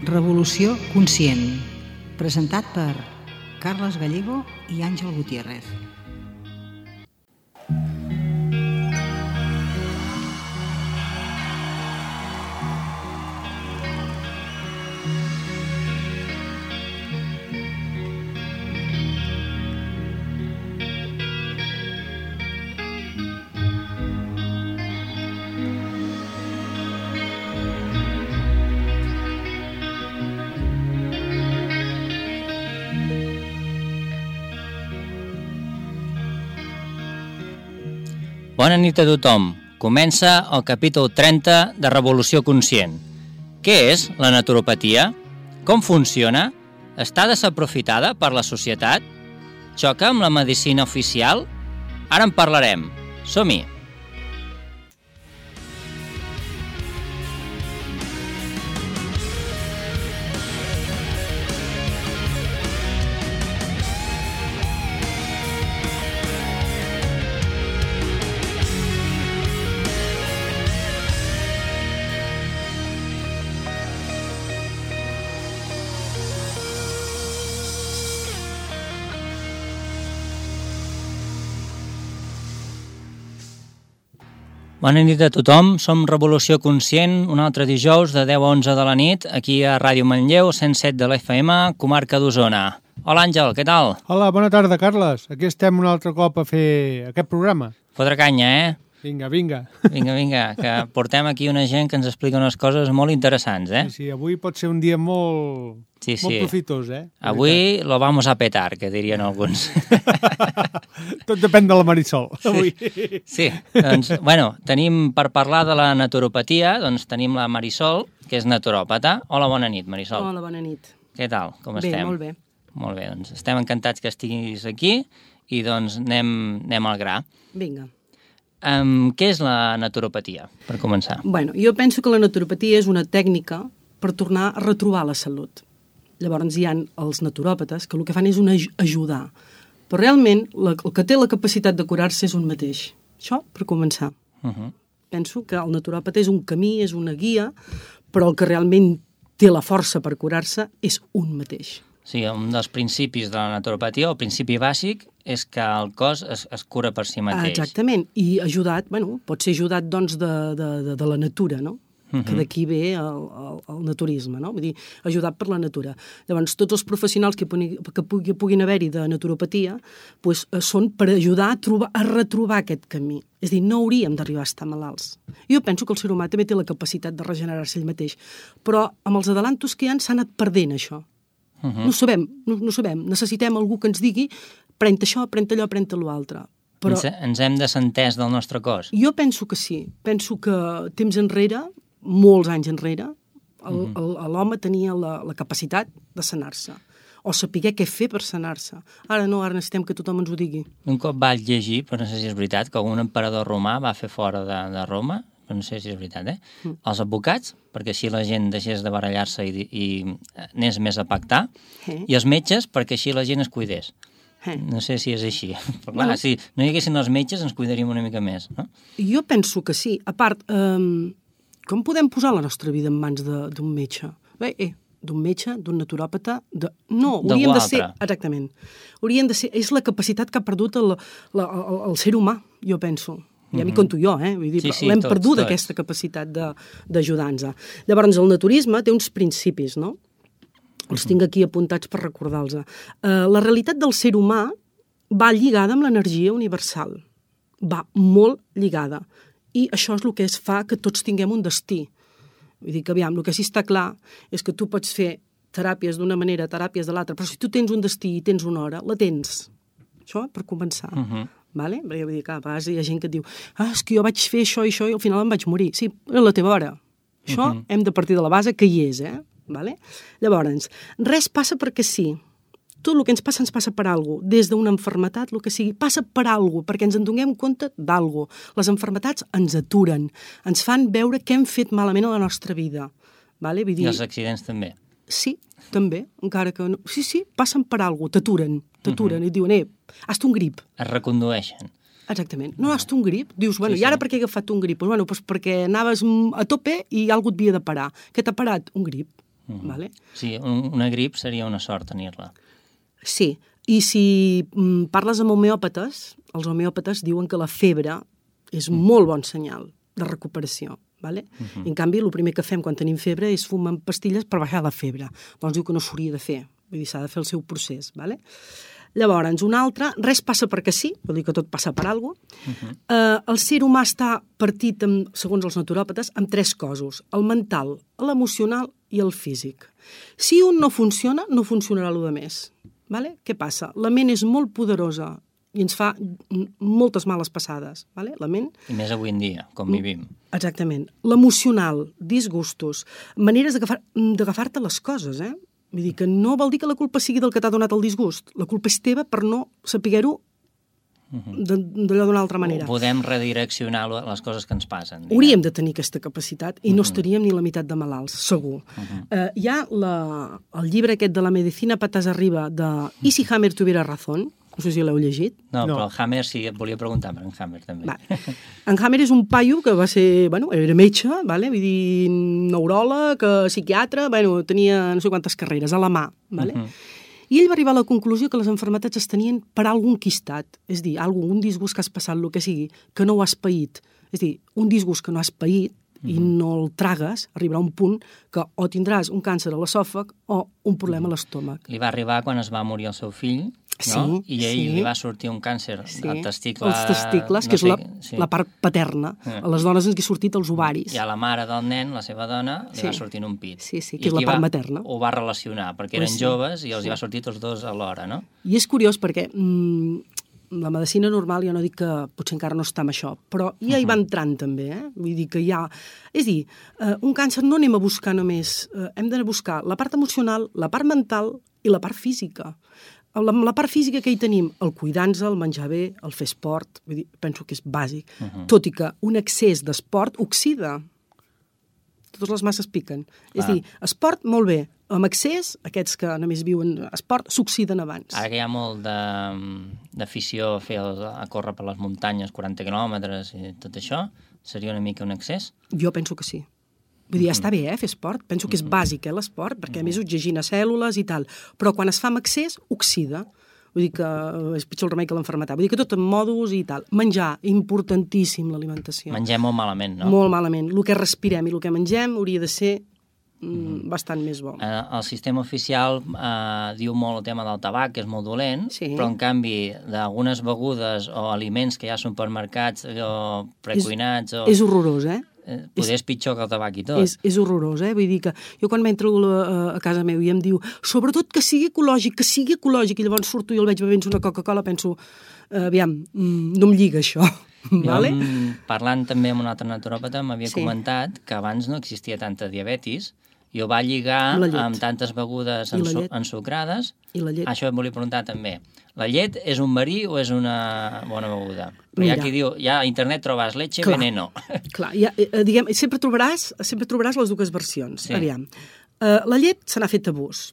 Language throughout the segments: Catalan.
Revolució conscient, presentat per Carles Gallego i Àngel Gutiérrez. Bona nit a tothom. Comença el capítol 30 de Revolució Conscient. Què és la naturopatia? Com funciona? Està desaprofitada per la societat? Xoca amb la medicina oficial? Ara en parlarem. Som-hi! Bona nit a tothom, som Revolució Conscient, un altre dijous de 10 a 11 de la nit, aquí a Ràdio Manlleu, 107 de l'FM, comarca d'Osona. Hola Àngel, què tal? Hola, bona tarda, Carles. Aquí estem un altre cop a fer aquest programa. Fotre canya, Vinga, vinga. Vinga, que portem aquí una gent que ens explica unes coses molt interessants, Sí, avui pot ser un dia molt profitós, Avui lo vamos a petar, que dirien alguns. Tot depèn de la Marisol, avui. Sí, doncs, tenim per parlar de la naturopatia, doncs tenim la Marisol, que és naturòpata. Hola, bona nit, Marisol. Hola, bona nit. Què tal? Com estem? Bé, molt bé. Molt bé, doncs estem encantats que estiguis aquí i doncs anem al gra. Vinga. Què és la naturopatia, per començar? Jo penso que la naturopatia és una tècnica per tornar a retrobar la salut. Llavors hi ha els naturòpates que el que fan és ajudar. Però realment el que té la capacitat de curar-se és un mateix. Això per començar. Penso que el naturòpata és un camí, és una guia, però el que realment té la força per curar-se és un mateix. Sí, un dels principis de la naturopatia, el principi bàsic, és que el cos es cura per si mateix. Exactament, i ajudat, pot ser ajudat doncs de la natura, no? Que d'aquí ve el naturisme, no? Vull dir, ajudat per la natura. Llavors, tots els professionals que puguin haver-hi de naturopatia són per ajudar a retrobar aquest camí. És a dir, no hauríem d'arribar a estar malalts. Jo penso que el ser humà també té la capacitat de regenerar-se ell mateix, però amb els adelantos que hi ha s'ha anat perdent això. No sabem. Necessitem algú que ens digui pren això, pren allò, pren l'altre. Però ens hem desentès del nostre cos? Jo penso que sí. Penso que temps enrere, molts anys enrere, l'home tenia la capacitat de sanar-se o saber què fer per sanar-se. Ara no, ara necessitem que tothom ens ho digui. Un cop vaig llegir, però no sé si és veritat, que un emperador romà va fer fora de Roma, però no sé si és veritat, els advocats, perquè així la gent deixés de barallar-se i anés més a pactar, i els metges, perquè així la gent es cuidés. No sé si és així. Però clar, si no hi haguessin els metges ens cuidaríem una mica més, no? Jo penso que sí. A part, com podem posar la nostra vida en mans d'un metge? D'un metge, d'un naturòpata... No, hauríem de ser... Exactament. Hauríem de ser... És la capacitat que ha perdut el ser humà, jo penso. Ja m'hi conto jo, vull dir, l'hem perdut aquesta capacitat d'ajudar-nos. Llavors, el naturisme té uns principis, no? Els tinc aquí apuntats per recordar-los. La realitat del ser humà va lligada amb l'energia universal. Va molt lligada. I això és el que fa que tots tinguem un destí. Vull dir que, aviam, el que sí està clar és que tu pots fer teràpies d'una manera, teràpies de l'altra, però si tu tens un destí i tens una hora, la tens. Això per començar. Vale? Perquè vull dir que a vegades hi ha gent que et diu és que jo vaig fer això i això i al final em vaig morir. Sí, és la teva hora. Això hem de partir de la base que hi és, Vale? Llavors, res passa perquè sí. Tot el que ens passa per alguna cosa. Des d'una malaltia, el que sigui, passa per alguna cosa, perquè ens en donem compte d'alguna cosa. Les malalties ens aturen, ens fan veure què hem fet malament a la nostra vida. Vale? Vull dir... I els accidents també. Sí, també, encara que no... Sí, passen per alguna cosa, t'aturen i et diuen, has un grip. Es recondueixen. Exactament. No has un grip? Dius, i ara per què he agafat un grip? Doncs perquè anaves a tope i algú et havia de parar. Què t'ha parat? Un grip. Vale? Sí, una grip seria una sort tenir-la. Sí, i si parles amb homeòpates, els homeòpates diuen que la febre és molt bon senyal de recuperació. Vale? En canvi, el primer que fem quan tenim febre és fumar pastilles per baixar la febre. Doncs diu que no s'hauria de fer, vull dir, s'ha de fer el seu procés. Vale? Llavors, un altre, res passa perquè sí, vol dir que tot passa per alguna cosa. El ser humà està partit, segons els naturòpates, amb 3 cossos, el mental, l'emocional i el físic. Si un no funciona, no funcionarà el més. Vale? Què passa? La ment és molt poderosa i ens fa moltes males passades. Vale? La ment... I més avui en dia, com vivim. Exactament. L'emocional, disgustos, maneres d'agafar-te les coses, Vull dir que no vol dir que la culpa sigui del que t'ha donat el disgust. La culpa és teva per no saber-ho d'allò d'una altra manera. Podem redireccionar les coses que ens passen. Hauríem de tenir aquesta capacitat i no estaríem ni la meitat de malalts, segur. Hi ha el llibre aquest de la medicina patas arriba de ¿Y si Hammer tuviera razón? No sé si l'heu llegit. No, però el Hammer sí, et volia preguntar per en Hammer també. En Hammer és un paio que va ser, era metge, vull dir, neuròleg, psiquiatre, tenia no sé quantes carreres, a la mà, I ell va arribar a la conclusió que les malalties es tenien per algun quistat, és a dir, un disgust que has passat, el que sigui, que no ho has paït. És a dir, un disgust que no has paït i no el tragues, arribarà un punt que o tindràs un càncer a l'esòfag o un problema a l'estómac. Li va arribar quan es va morir el seu fill, no? I a ell li va sortir un càncer al testicle... Els testicles, que és la part paterna. A les dones ens hi ha sortit els ovaris. I a la mare del nen, la seva dona, li va sortir un pit. Sí, que és la part materna. Ho va relacionar, perquè eren joves i els hi va sortir tots dos alhora, no? I és curiós perquè la medicina normal, jo no dic que potser encara no està amb això, però ja hi va entrant també, Vull dir que hi ha... És a dir, un càncer no anem a buscar només, hem d'anar a buscar la part emocional, la part mental i la part física. La part física que hi tenim, el cuidar-nos, el menjar bé, el fer esport, vull dir, penso que és bàsic, tot i que un excés d'esport oxida. Totes les masses piquen. És a dir, esport, molt bé. Amb excés, aquests que només viuen esport, s'oxiden abans. Ara que hi ha molt d'afició a córrer per les muntanyes, 40 quilòmetres i tot això, seria una mica un excés? Jo penso que sí. Vull dir, està bé, fer esport. Penso que és bàsic, l'esport, perquè a més oxigena cèl·lules i tal. Però quan es fa amb excés, oxida. Vull dir que és pitjor el remei que l'enfermetat. Vull dir que tot en mòduls i tal. Menjar, importantíssim l'alimentació. Mengem molt malament, no? Molt malament. El que respirem i el que mengem hauria de ser bastant més bo. El sistema oficial diu molt el tema del tabac, que és molt dolent, però en canvi d'algunes begudes o aliments que hi ha als supermercats o precuinats... És horrorós, Potser és pitjor que el tabac i tot. És horrorós, Vull dir que jo quan m'entro a casa meu i em diu sobretot que sigui ecològic, i llavors surto i el veig bevent una Coca-Cola, penso, aviam, no em lliga això. Parlant també amb un altre naturòpata, m'havia comentat que abans no existia tanta diabetis i ho va lligar amb tantes begudes ensucrades. I la llet. Això et volia preguntar també. La llet és un verí o és una bona beguda? Però hi ha qui diu, ja a internet trobes leche veneno. Clar, diguem, sempre trobaràs les dues versions. Aviam, la llet se n'ha fet abús.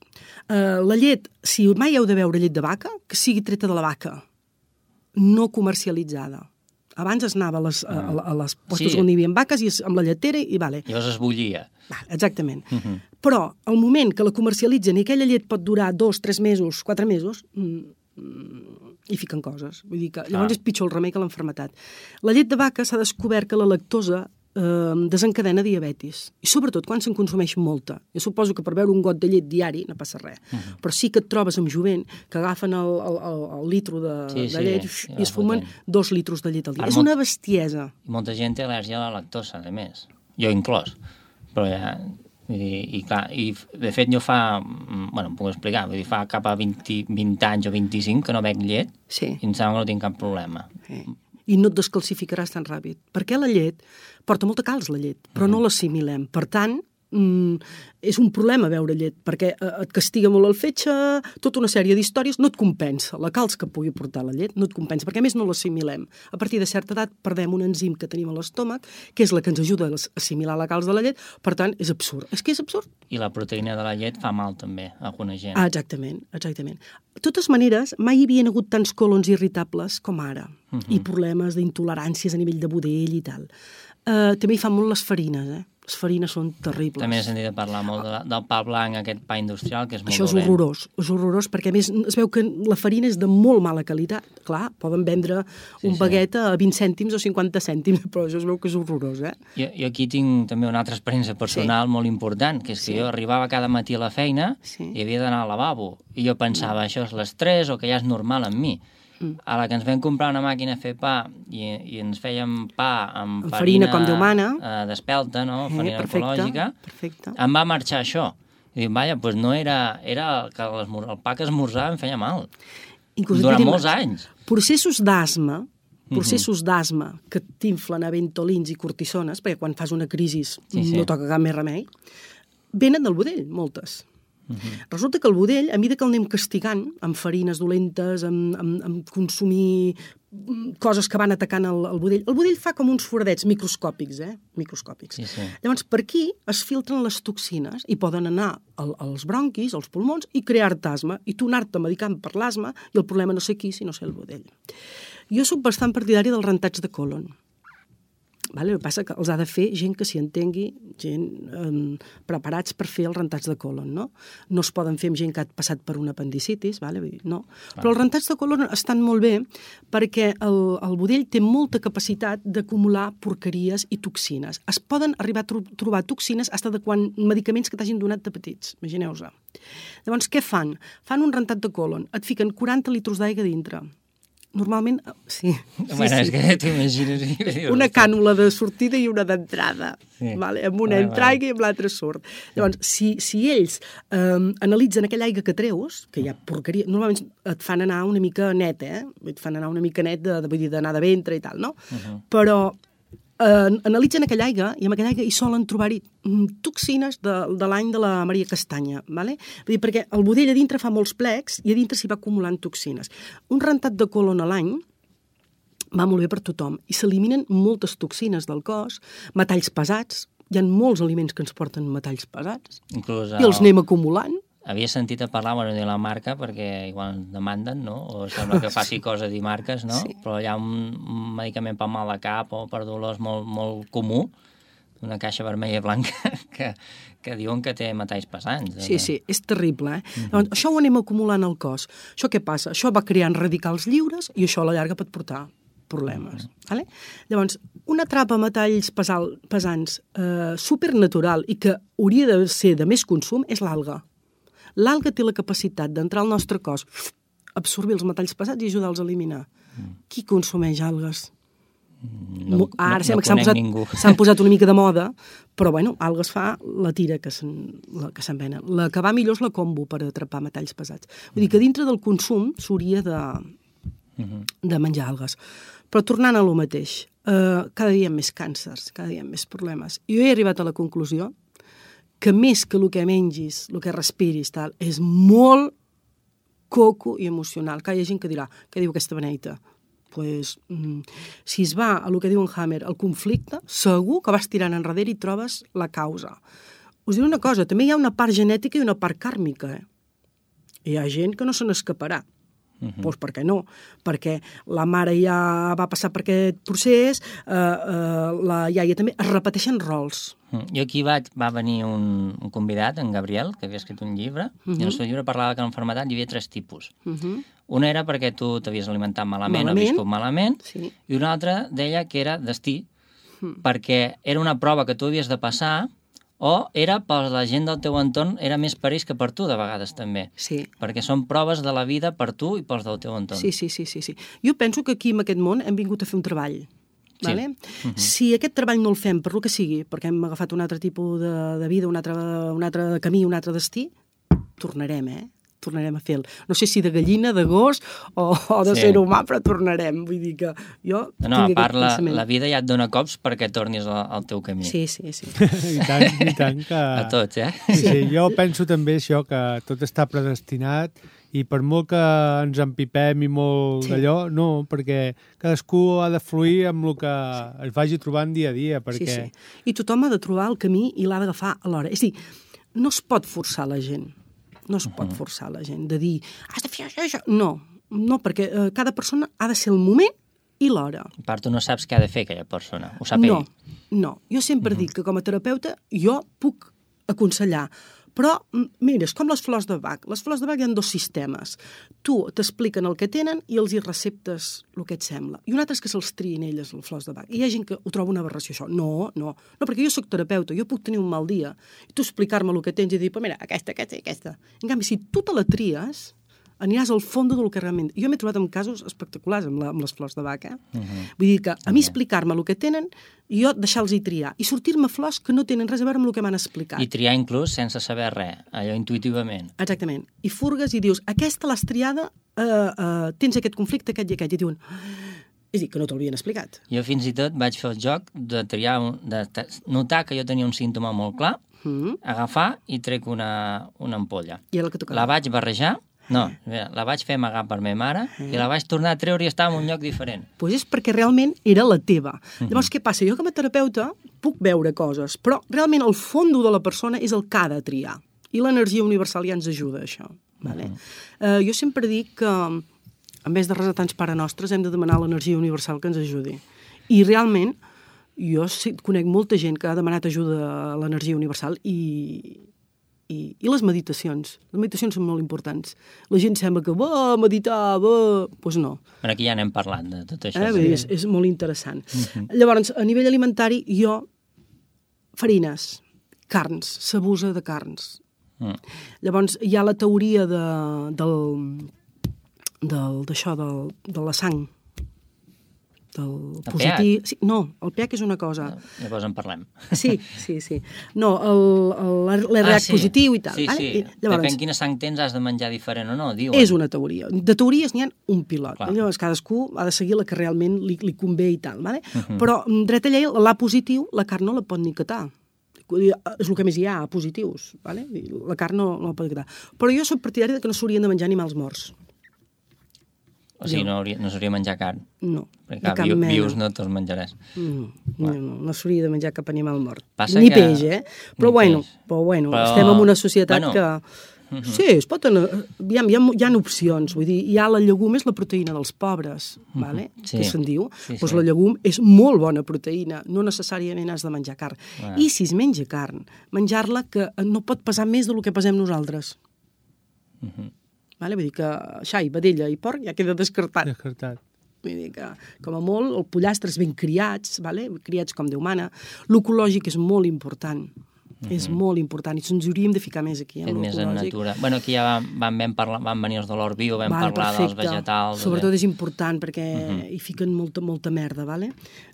La llet, si mai heu de beure llet de vaca, que sigui treta de la vaca, no comercialitzada. Abans es anava a les postes on hi havia vaques i amb la lletera i vale. Llavors es bullia. Exactament. Però al moment que la comercialitzen i aquella llet pot durar 2, 3 mesos, 4 mesos, hi fiquen coses. Vull dir que llavors és pitjor el remei que l'enfermetat. La llet de vaca s'ha descobert que la lactosa desencadena diabetis. I sobretot quan se'n consumeix molta. Jo suposo que per beure un got de llet diari no passa res. Però sí que et trobes amb jovent que agafen el litro de llet i es fumen 2 litros de llet al dia. És una bestiesa. I molta gent té al·lèrgia a la lactosa, a més. Jo inclòs. Però ja... I clar, de fet jo em puc explicar, fa cap a 20 anys o 25 que no bec llet i em sembla que no tinc cap problema. I no et descalcificaràs tan ràpid, perquè la llet porta molta calç, la llet, però no l'assimilem. Per tant, és un problema beure llet, perquè et castiga molt el fetge, tota una sèrie d'històries, no et compensa. La calç que pugui portar la llet no et compensa, perquè a més no l'assimilem. A partir de certa edat perdem un enzim que tenim a l'estómac, que és la que ens ajuda a assimilar la calç de la llet, per tant, és absurd. És que és absurd. I la proteïna de la llet fa mal també a alguna gent. Exactament. De totes maneres, mai hi havia hagut tants colons irritables com ara, i problemes d'intoleràncies a nivell de budell i tal. També hi fan molt les farines, Les farines són terribles. També he sentit de parlar molt del pa blanc, aquest pa industrial, que és molt dolent. Això és horrorós, perquè a més es veu que la farina és de molt mala qualitat. Clar, poden vendre un baguet a 20 cèntims o 50 cèntims, però això es veu que és horrorós, Jo aquí tinc també una altra experiència personal molt important, que és que jo arribava cada matí a la feina i havia d'anar al lavabo, i jo pensava, això és l'estrès o que ja és normal en mi. A la que ens vam comprar una màquina a fer pa i ens fèiem pa amb farina com Déu mana, d'espelta, no? Farina ecològica, em va marxar això. I dic, vaja, doncs no era que el pa que esmorzava em feia mal. Durant molts anys. Processos d'asma que t'inflen a ventolins i cortisones, perquè quan fas una crisi no toca cap més remei, venen del budell, moltes. Resulta que el budell, a mesura que el anem castigant amb farines dolentes, amb consumir coses que van atacant el budell fa com uns foradets microscòpics, microscòpics. Llavors, per aquí es filtren les toxines i poden anar als bronquis, als pulmons, i crear-te asma, i tu anar-te medicant per l'asma, i el problema no sé qui, sinó ser el budell. Jo soc bastant partidària dels rentats de colon. El que passa que els ha de fer gent que s'hi entengui, gent preparats per fer els rentats de colon, no? No es poden fer amb gent que ha passat per una apendicitis, no? Però els rentats de colon estan molt bé perquè el budell té molta capacitat d'acumular porqueries i toxines. Es poden arribar a trobar toxines fins de quan medicaments que t'hagin donat de petits, imagineu-vos. Llavors, què fan? Fan un rentat de colon, et fiquen 40 litres d'aigua dintre. Normalment, sí. És que t'imagines... Una cànula de sortida i una d'entrada. Amb una entra aigua i amb l'altra surt. Llavors, si ells analitzen aquella aigua que treus, que hi ha porqueria, normalment et fan anar una mica net, et fan anar una mica net d'anar de ventre i tal, no? Però analitzen aquella aigua i amb aquella aigua hi solen trobar-hi toxines de l'any de la Maria Castanya, vull dir, perquè el budell a dintre fa molts plecs i a dintre s'hi va acumulant toxines. Un rentat de colon a l'any va molt bé per tothom i s'eliminen moltes toxines del cos, metalls pesats, hi ha molts aliments que ens porten metalls pesats i els anem acumulant. Havia sentit a parlar, de la marca, perquè igual ens demanden, no? O sembla que faci cosa de marques, no? Però hi ha un medicament per mal de cap o per dolors molt comú, una caixa vermella i blanca, que diuen que té metalls pesants. Sí, és terrible, Llavors, això ho anem acumulant al cos. Això què passa? Això va creant radicals lliures i això a la llarga pot portar problemes. Llavors, una trapa metalls pesants supernatural i que hauria de ser de més consum és l'alga. L'alga té la capacitat d'entrar al nostre cos, absorbir els metalls pesats i ajudar-los a eliminar. Qui consumeix algues? Ara sembla que s'han posat una mica de moda, però algues fa la tira que se'n venen. La que va millor és la combo per atrapar metalls pesats. Vull dir que dintre del consum s'hauria de menjar algues. Però tornant a lo mateix, cada dia hi ha més càncers, cada dia hi ha més problemes. Jo he arribat a la conclusió que més que el que mengis, el que respiris, és molt coco i emocional. Que hi ha gent que dirà, què diu aquesta beneita? Doncs, si es va a el que diu en Hammer, el conflicte, segur que vas tirant enrere i trobes la causa. Us diré una cosa, també hi ha una part genètica i una part kàrmica. Hi ha gent que no se n'escaparà. Doncs per què no? Perquè la mare ja va passar per aquest procés, la iaia també, es repeteixen rols. Jo aquí va venir un convidat, en Gabriel, que havia escrit un llibre, i en el seu llibre parlava que en l'enfermetat hi havia 3 tipus. Una era perquè tu t'havies alimentat malament o viscut malament, i una altra deia que era destí, perquè era una prova que tu havies de passar, o era per la gent del teu entorn, era més per ells que per tu, de vegades, també. Sí. Perquè són proves de la vida per tu i pels del teu entorn. Sí. Jo penso que aquí, en aquest món, hem vingut a fer un treball. Si aquest treball no el fem per lo que sigui, perquè hem agafat un altre tipus de vida, un altre camí, un altre destí, tornarem a fer-lo. No sé si de gallina, de gos o de ser humà, però tornarem. Vull dir que jo tinc aquest pensament. La vida ja et dona cops perquè tornis al teu camí. Sí. I tant que... A tots, Sí, jo penso també això, que tot està predestinat i per molt que ens empipem i molt d'allò, no, perquè cadascú ha de fluir amb el que es vagi trobant dia a dia. Perquè... Sí. I tothom ha de trobar el camí i l'ha d'agafar alhora. És a dir, no es pot forçar la gent. No es pot forçar la gent de dir, has de fer això. No, perquè cada persona ha de ser el moment i l'hora. A part, tu no saps què ha de fer aquella persona, ho sap ell. No. Jo sempre dic que com a terapeuta jo puc aconsellar, però, mira, és com les flors de Bach. Les flors de Bach hi ha 2 sistemes. Tu t'expliquen el que tenen i els hi receptes el que et sembla. I un altre és que se'ls triïn elles, les flors de Bach. I hi ha gent que ho troba una aberració, això. No, perquè jo sóc terapeuta, jo puc tenir un mal dia i tu explicar-me el que tens i dir, mira, aquesta. En canvi, si tu te la tries, aniràs al fons del que realment... Jo m'he trobat en casos espectaculars amb les flors de Bach, Vull dir que a mi explicar-me el que tenen i jo deixar-los triar. I sortir-me flors que no tenen res a veure amb el que m'han explicat. I triar inclús sense saber res, allò intuïtivament. Exactament. I furgues i dius, aquesta l'has triada, tens aquest conflicte, aquest i aquest. I diuen... És a dir, que no t'ho havien explicat. Jo fins i tot vaig fer el joc de triar, de notar que jo tenia un símptoma molt clar, agafar i trec una ampolla. I era el que tocava. La vaig barrejar. No, la vaig fer amagar per meva mare i la vaig tornar a treure i estava en un lloc diferent. Doncs és perquè realment era la teva. Llavors, què passa? Jo com a terapeuta puc veure coses, però realment el fondo de la persona és el que ha de triar. I l'energia universal ja ens ajuda a això. Vale? Jo sempre dic que, en vez de resar tants Pare Nostres, hem de demanar a l'energia universal que ens ajudi. I realment, jo conec molta gent que ha demanat ajuda a l'energia universal i les meditacions. Les meditacions són molt importants. La gent sembla que va meditar, Doncs no. Bueno, aquí ja n'hem parlat de tot això. És molt interessant. Llavors, a nivell alimentari, jo, farines, carns, s'abusa de carns. Llavors, hi ha la teoria de la sang, del positiu... Sí, no, el pH és una cosa. Llavors en parlem. Sí. No, l'RH positiu i tal. Sí. Llavors, depèn quina sang tens, has de menjar diferent o no, diuen. És una teoria. De teories n'hi ha un pilot. Llavors, cadascú ha de seguir la que realment li convé i tal. Però, dret a llei, l'A positiu, la carn no la pot ni catar. És el que més hi ha, positius. La carn no la pot catar. Però jo soc partidari que no s'haurien de menjar animals morts. O sigui, no s'hauria de menjar carn? No, perquè cap vius no te'ls menjaràs. No s'hauria de menjar cap animal mort. Passa ni peix, Però bueno, estem en una societat que... Sí, es pot anar... Hi ha opcions. Vull dir, hi ha la llegum, és la proteïna dels pobres, que se'n diu. Doncs la llegum és molt bona proteïna. No necessàriament has de menjar carn. I si es menja carn, menjar-la que no pot pesar més del que pesem nosaltres. Vull dir que xai, vedella i porc ja queda descartat. Vull dir que, com a molt, el pollastre és ben criats, criats com Déu mana. L'ecològic és molt important. És molt important. I ens hauríem de ficar més aquí, en l'ecològic. Més en natura. Bueno, aquí ja van venir els de l'Hort Bio, vam parlar dels vegetals. Sobretot és important, perquè hi fiquen molta merda,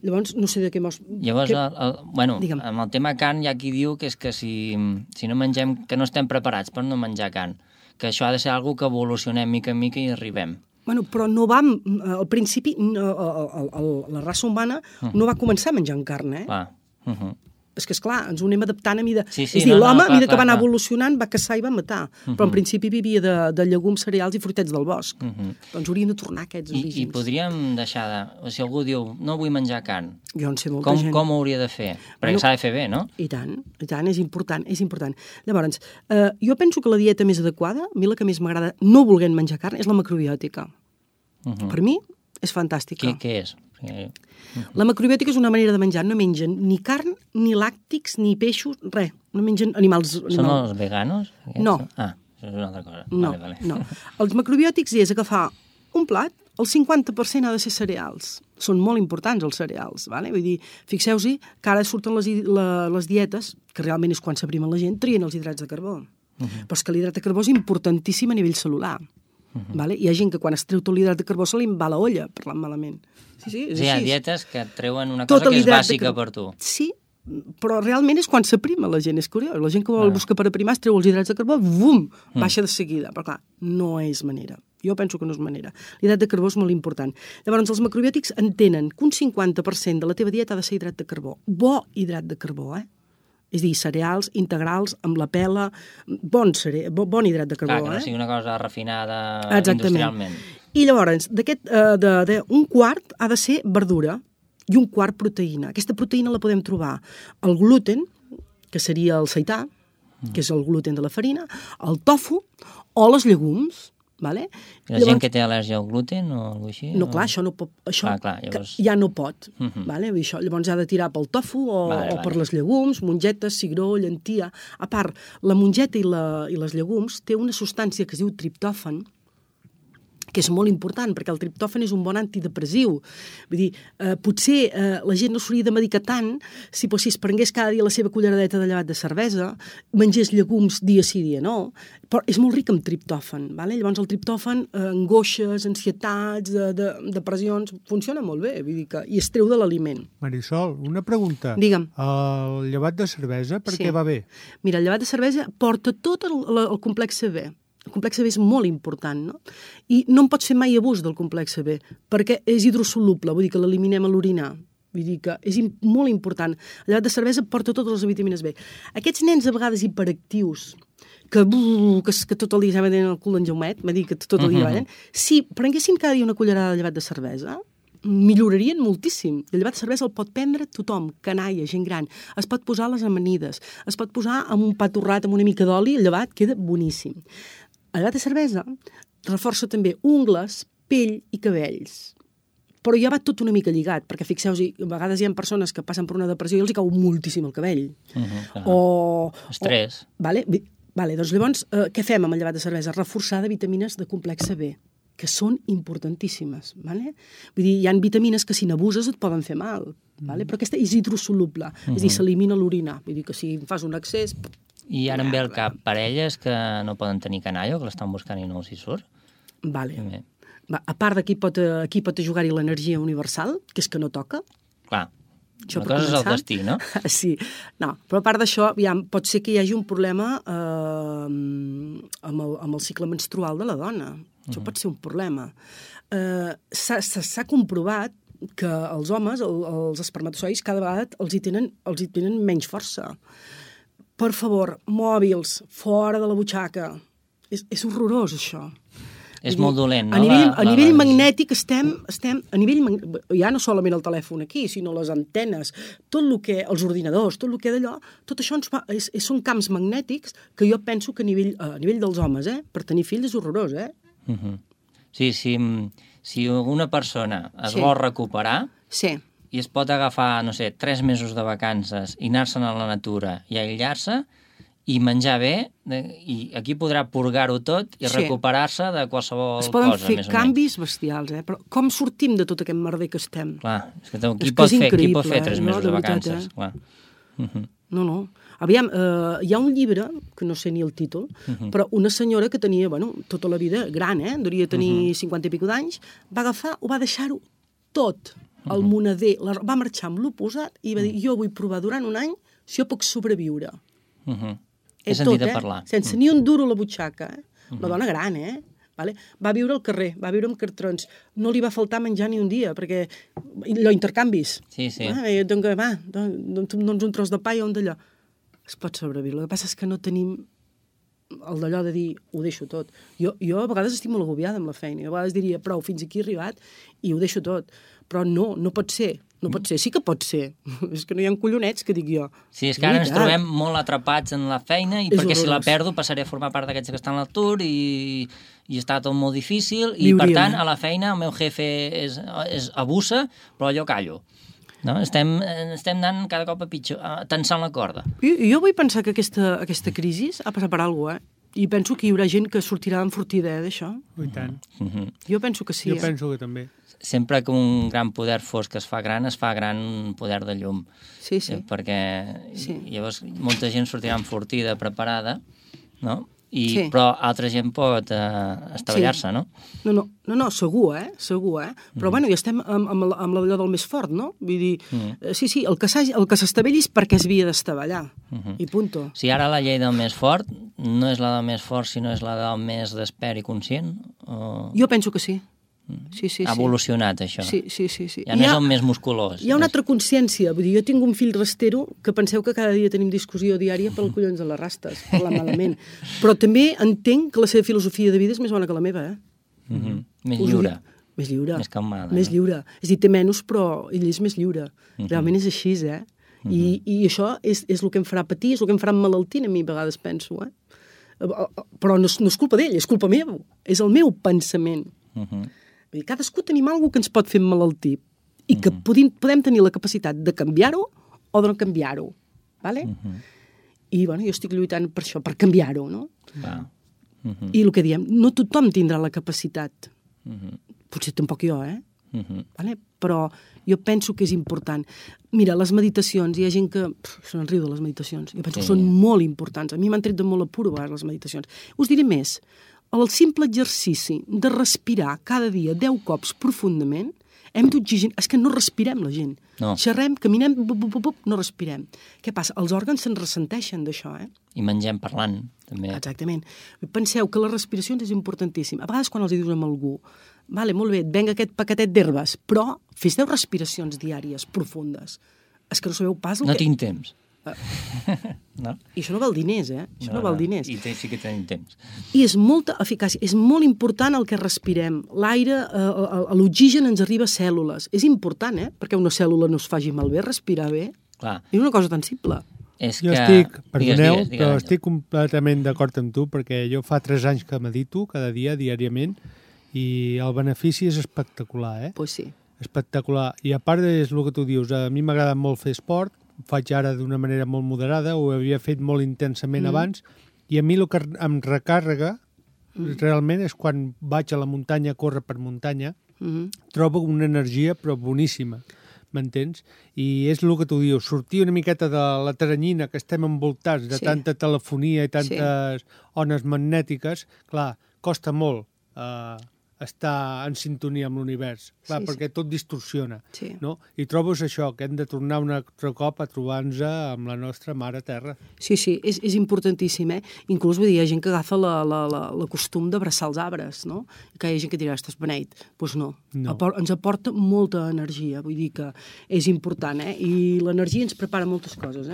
Llavors, no sé de què... Llavors, amb el tema carn hi ha qui diu que és que si no mengem, que no estem preparats per no menjar carn, que això ha de ser alguna que evolucionem mica en mica i arribem. Però no va... Al principi, la raça humana no va començar menjant carn, És que, esclar, ens ho anem adaptant a mida... És a dir, l'home, a mida que va anar evolucionant, va caçar i va matar. Però en principi vivia de llegums, cereals i fruitets del bosc. Doncs hauríem de tornar a aquests orígens. I podríem deixar de... O si algú diu, no vull menjar carn, jo en sé molta gent. Com ho hauria de fer? Perquè s'ha de fer bé, no? I tant, és important. Llavors, jo penso que la dieta més adequada, a mi la que més m'agrada no volent menjar carn, és la macrobiòtica. Per mi és fantàstica. Què és? La macrobiòtica és una manera de menjar. No mengen ni carn, ni làctics, ni peixos, res. No mengen animals... Són els veganos? No. Això és una altra cosa. No. Els macrobiòtics és agafar un plat, el 50% ha de ser cereals. Són molt importants els cereals, Vull dir, fixeu-vos que ara surten les dietes, que realment és quan s'aprimen la gent, trien els hidrats de carbó. Però és que l'hidrat de carbó és importantíssim a nivell celular. Hi ha gent que quan es treu tot l'hidrat de carbó se li va la olla, parlant malament. Sí, hi ha dietes que treuen una cosa que és bàsica per tu. Sí, però realment és quan s'aprima la gent, és curiós. La gent que vol buscar per aprimar es treu els hidrats de carbó, bum, baixa de seguida. Però clar, no és manera. Jo penso que no és manera. L'hidrat de carbó és molt important. Llavors, els macrobiòtics entenen que un 50% de la teva dieta ha de ser hidrat de carbó. Bo hidrat de carbó, És a dir, cereals integrals, amb la pela, bon hidrat de carbó. Clar, que no sigui una cosa refinada industrialment. I llavors, un quart ha de ser verdura i un quart proteïna. Aquesta proteïna la podem trobar al gluten, que seria el seità, que és el gluten de la farina, el tofu o les llegums. Vale? La gent que té al·lèrgia al gluten o alguna cosa així? No, clar, això no pot, això llavors... ja no pot. Vale? Això, llavors ha de tirar pel tofu o per les llegums, mongetes, cigró, llentia. A part, la mongeta i les llegums té una substància que es diu triptòfan, que és molt important, perquè el triptòfan és un bon antidepressiu. Vull dir, potser la gent no s'hauria de medicar tant si es prengués cada dia la seva culleradeta de llevat de cervesa, mengés llegums dia sí, dia no, però és molt ric en triptòfan. Vale? Llavors el triptòfan, angoixes, ansietats, depressions, funciona molt bé, vull dir que, i es treu de l'aliment. Marisol, una pregunta. Digue'm. El llevat de cervesa, per què va bé? Mira, el llevat de cervesa porta tot el complex B. El complex B és molt important, no? I no en pots fer mai abús del complex B, perquè és hidrosoluble, vull dir que l'eliminem a l'orinar. Vull dir que és molt important. El llevat de cervesa porta totes les vitamines B. Aquests nens a vegades hiperactius, que tot el dia ja tenen el cul d'en Jaumet, va dir que tot el dia ballen, si prenguessin cada dia una cullerada de llevat de cervesa, millorarien moltíssim. El llevat de cervesa el pot prendre tothom, canalla, gent gran. Es pot posar a les amanides, es pot posar amb un pa torrat, amb una mica d'oli, el llevat queda boníssim. El llevat de cervesa reforça també ungles, pell i cabells. Però ja va tot una mica lligat, perquè fixeu-vos, a vegades hi ha persones que passen per una depressió i els hi cau moltíssim el cabell. Estrès. Vale, doncs llavors, què fem amb el llevat de cervesa? Reforçar de vitamines de complex B, que són importantíssimes. Vale? Vull dir, hi ha vitamines que si n'abuses et poden fer mal, vale? Però aquesta és hidrosoluble, és a dir, s'elimina a l'orinar. Vull dir que si fas un excés... I ara em ve al cap parelles que no poden tenir canalla o que l'estan buscant i no els hi surt? Vale. A part d'aquí pot jugar-hi l'energia universal, que és que no toca. Clar, una cosa és el destí, no? Sí, no, però a part d'això, pot ser que hi hagi un problema amb el cicle menstrual de la dona. Això pot ser un problema. S'ha comprovat que els homes, els espermatozoides, cada vegada els hi tenen menys força. Per favor, mòbils, fora de la butxaca. És horrorós, això. És molt dolent, no? A nivell magnètic estem a nivell ja no solament el telèfon aquí, sinó les antenes, tot el que, els ordinadors, tot el que d'allò, tot això són camps magnètics que jo penso que a nivell dels homes, per tenir fills és horrorós, Sí, si una persona es vol recuperar i es pot agafar, no sé, 3 mesos de vacances i anar-se'n a la natura i aïllar-se i menjar bé, i aquí podrà purgar-ho tot i recuperar-se de qualsevol cosa. Es poden fer canvis bestials, però com sortim de tot aquest merder que estem? Clar, és que qui pot fer 3 mesos de vacances? Clar. No. Aviam, hi ha un llibre, que no sé ni el títol, però una senyora que tenia, tota la vida gran, devia tenir 50 i escaig d'anys, va agafar, ho va deixar-ho tot, el moneder, va marxar amb l'oposat i va dir, jo vull provar durant un any si jo puc sobreviure. He sentit a parlar. Sense ni un duro a la butxaca, la dona gran, Vale? Va viure al carrer, va viure amb cartrons. No li va faltar menjar ni un dia, perquè allò intercanvis. Sí. Doncs un tros de pa i un d'allò. Es pot sobreviure. El que passa és que no tenim el d'allò de dir, ho deixo tot. Jo a vegades estic molt agobiada amb la feina. Jo a vegades diria, prou, fins aquí he arribat i ho deixo tot. Però no pot ser. No pot ser, sí que pot ser. És que no hi ha collonets, que dic jo. Sí, és que ara ens trobem molt atrapats en la feina i perquè si la perdo passaré a formar part d'aquests que estan a l'atur i està tot molt difícil i per tant a la feina el meu jefe abusa, però jo callo. No? Estem anant cada cop a pitjor, tensant la corda. Jo vull pensar que aquesta crisi ha passat per alguna cosa, i penso que hi haurà gent que sortirà enfortida d'això. I tant. Jo penso que sí. Jo penso que també. Sempre que un gran poder fosc es fa gran poder de llum. Sí. Perquè llavors molta gent sortirà enfortida, preparada, no? Però altra gent pot estavellar-se, no? No, segur, segur, Però ja estem amb allò del més fort, no? Vull dir, sí, el que s'estavelli és perquè es havia d'estavellar, i punto. Si ara la llei del més fort no és la del més fort, sinó és la del més despert i conscient? Jo penso que sí. Sí. Ha evolucionat, això. Sí. Ja no és el més musculós. Hi ha una altra consciència. Vull dir, jo tinc un fill rastero que penseu que cada dia tenim discussió diària pel collons de les rastes, parlar malament. Però també entenc que la seva filosofia de vida és més bona que la meva, Més lliure. Més lliure. Més calmada. Més lliure. És a dir, té menys, però ell és més lliure. Realment és així, I això és el que em farà patir, és el que em farà emmalaltir a mi, a vegades penso, Però no és culpa d'ell, és culpa meva. És el meu pensament. Mhm. Vull dir, cadascú tenim alguna que ens pot fer emmalaltir i que podem tenir la capacitat de canviar-ho o de no canviar-ho. Vale? I bueno, jo estic lluitant per això, per canviar-ho, no? Va. Mhm. I el que diem, no tothom tindrà la capacitat. Mhm. Potser tampoc jo, Mhm. Vale? Però jo penso que és important. Mira, les meditacions, hi ha gent que se'n riu de les meditacions. Jo penso que són molt importants. A mi m'han tret de molt apuro a vegades les meditacions. Us diré més. El simple exercici de respirar cada dia 10 cops profundament, hem d'oxigenar... És que no respirem, la gent. No. Xerrem, caminem, no respirem. Què passa? Els òrgans se'n ressenteixen d'això, I mengem parlant, també. Exactament. Penseu que les respiracions és importantíssim. A vegades quan els dius amb algú, vale, molt bé, et venga aquest paquetet d'herbes, però fes 10 respiracions diàries profundes. És que no sabeu pas el No que... tinc temps. No? I això no val diners, Això no val diners. I sí que tenim temps. I és molta eficàcia. És molt important el que respirem. L'aire, l'oxigen ens arriba a cèl·lules. És important, Perquè una cèl·lula no es faci malbé, respirar bé. Clar. És una cosa tan simple. És Jo que... estic, perdoneu, Digues, però Àngel. estic completament d'acord amb tu, perquè jo fa 3 anys que medito cada dia, diàriament, i el benefici és espectacular, Pues sí. Espectacular. I a part és el que tu dius, a mi m'agrada molt fer esport, ho faig ara d'una manera molt moderada, ho havia fet molt intensament abans, i a mi el que em recàrrega realment és quan vaig a la muntanya a córrer per muntanya, trobo una energia però boníssima, m'entens? I és el que tu dius, sortir una miqueta de la teranyina que estem envoltats de tanta telefonia i tantes ones magnètiques, clar, costa molt estar en sintonia amb l'univers, clar, perquè tot distorsiona, no? I trobes això, que hem de tornar un altre cop a trobar-nos amb la nostra mare terra. Sí, és importantíssim, Inclús, vull dir, hi ha gent que agafa la costum d'abraçar els arbres, no? Que hi ha gent que dirà, estàs beneit. Doncs no. Ens aporta molta energia, vull dir que és important, I l'energia ens prepara moltes coses,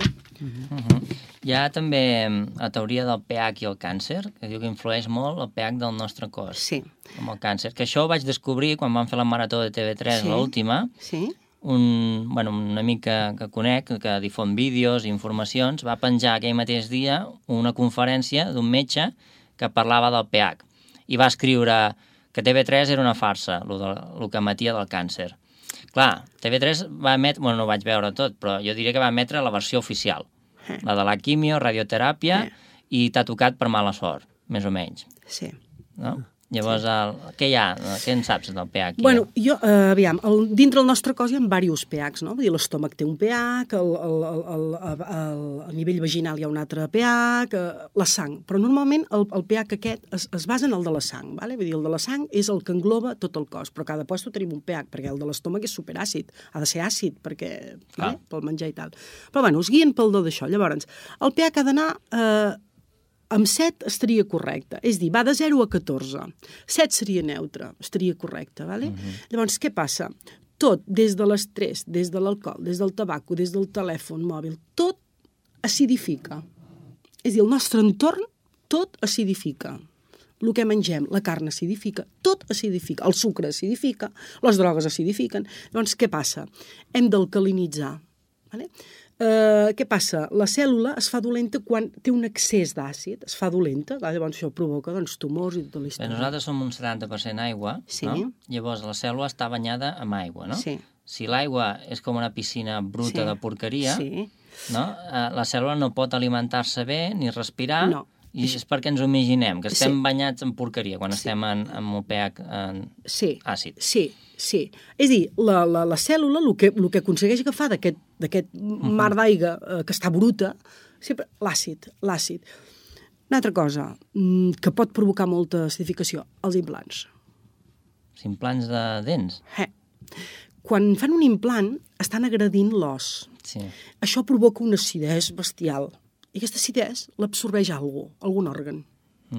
Hi ha també la teoria del pH i el càncer, que diu que influeix molt el pH del nostre cos. Sí. Amb el càncer, que això ho vaig descobrir quan vam fer la marató de TV3, l'última. Sí. Un amic que conec, que difon vídeos i informacions, va penjar aquell mateix dia una conferència d'un metge que parlava del pH i va escriure que TV3 era una farsa, el que emetia del càncer. Clar, TV3 va emetre, no ho vaig veure tot, però jo diria que va emetre la versió oficial, la de la quimio, radioteràpia, i t'ha tocat per mala sort, més o menys. Sí. No? Llavors, què hi ha? Què en saps del pH? Bueno, jo, aviam, dintre el nostre cos hi ha diversos pHs, no? Vull dir, l'estómac té un pH, a nivell vaginal hi ha un altre pH, la sang. Però normalment el pH aquest es basa en el de la sang, ¿vale? Vull dir, el de la sang és el que engloba tot el cos, però cada lloc tenim un pH, perquè el de l'estómac és superàcid, ha de ser àcid, perquè, pel menjar i tal. Però, bueno, es guien pel do d'això. Llavors, el pH ha d'anar... amb 7 estaria correcte, és dir, va de 0 a 14. 7 seria neutre, estaria correcte, ¿vale? Llavors, què passa? Tot, des de l'estrès, des de l'alcohol, des del tabaco, des del telèfon mòbil, tot acidifica. És a dir, el nostre entorn, tot acidifica. El que mengem, la carn acidifica, tot acidifica, el sucre acidifica, les drogues acidifiquen. Llavors, què passa? Hem d'alcalinitzar, ¿vale? Què passa? La cèl·lula es fa dolenta quan té un excés d'àcid, es fa dolenta, llavors això provoca tumors i tota la història. Nosaltres som un 70% aigua, no? Llavors la cèl·lula està banyada amb aigua, no? Sí. Si l'aigua és com una piscina bruta de porqueria, no? La cèl·lula no pot alimentar-se bé ni respirar, i és perquè ens ho imaginem, que estem banyats en porqueria quan estem amb el pH àcid. Sí. És a dir, la cèl·lula el que aconsegueix agafar d'aquest mar d'aigua que està bruta, sempre l'àcid. Una altra cosa que pot provocar molta acidificació, els implants. Els implants de dents? Quan fan un implant, estan agredint l'os. Sí. Això provoca una acidesa bestial. I aquesta acidesa l'absorbeix algun òrgan,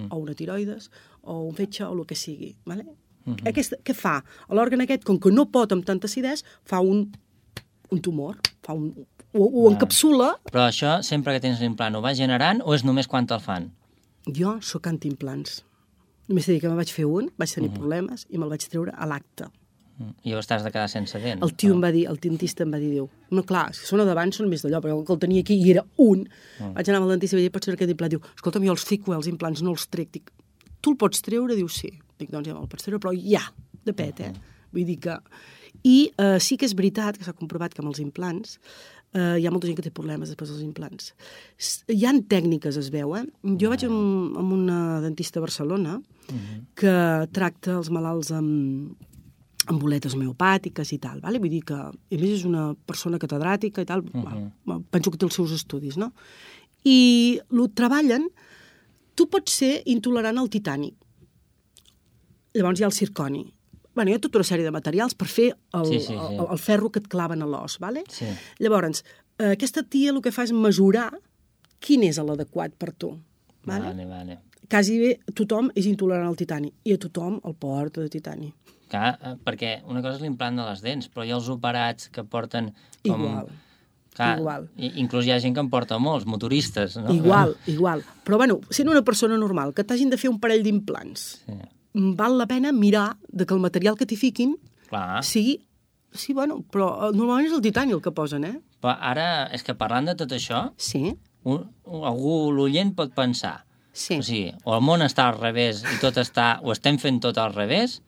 o una tiroides, o un fetge, o el que sigui. Vale? Què fa? L'òrgan aquest, com que no pot amb tanta acidesa, fa un tumor, ho encapsula. Però això, sempre que tens l'implant, ho va generant o és només quan te'l fan? Jo sóc antiimplants. Només t'he dit que me'n vaig fer un, vaig tenir problemes i me'l vaig treure a l'acte. I llavors t'has de quedar sense dents. El tio em va dir, el dentista em va dir, diu, no, clar, si són a davant són més d'allò, perquè el que el tenia aquí i era un. Vaig anar amb el dentista i vaig dir, pots treure aquest implant? Diu, escolta'm, jo els fico, els implants, no els trec. Dic, tu el pots treure? Diu, sí. Dic, doncs ja me'l pots treure, però ja, de pet, Vull dir que... I sí que és veritat que s'ha comprovat que amb els implants hi ha molta gent que té problemes després dels implants. Hi ha tècniques, es veu, Jo vaig amb una dentista a Barcelona que tracta els malalts amb boletes homeopàtiques i tal, vale? Vull dir que, a més, és una persona catedràtica i tal, penso que té els seus estudis, no? I el treballen, tu pots ser intolerant al titani, llavors hi ha el zirconi, hi ha tota una sèrie de materials per fer el ferro que et claven a l'os, vale? Sí. Llavors, aquesta tia el que fa és mesurar quin és l'adequat per tu, vale? Vale. Quasi bé tothom és intolerant al titani i a tothom el porta de titani. Clar, perquè una cosa és l'implant de les dents, però hi ha els operats que porten com... Igual. Inclús hi ha gent que en porta molts, motoristes, no? Igual. Però, sent una persona normal, que t'hagin de fer un parell d'implants, val la pena mirar que el material que t'hi fiquin sigui... Sí, però normalment és el titani el que posen, Però ara, és que parlant de tot això, algú, l'oient, pot pensar, o sigui, o el món està al revés i tot està... o estem fent tot al revés,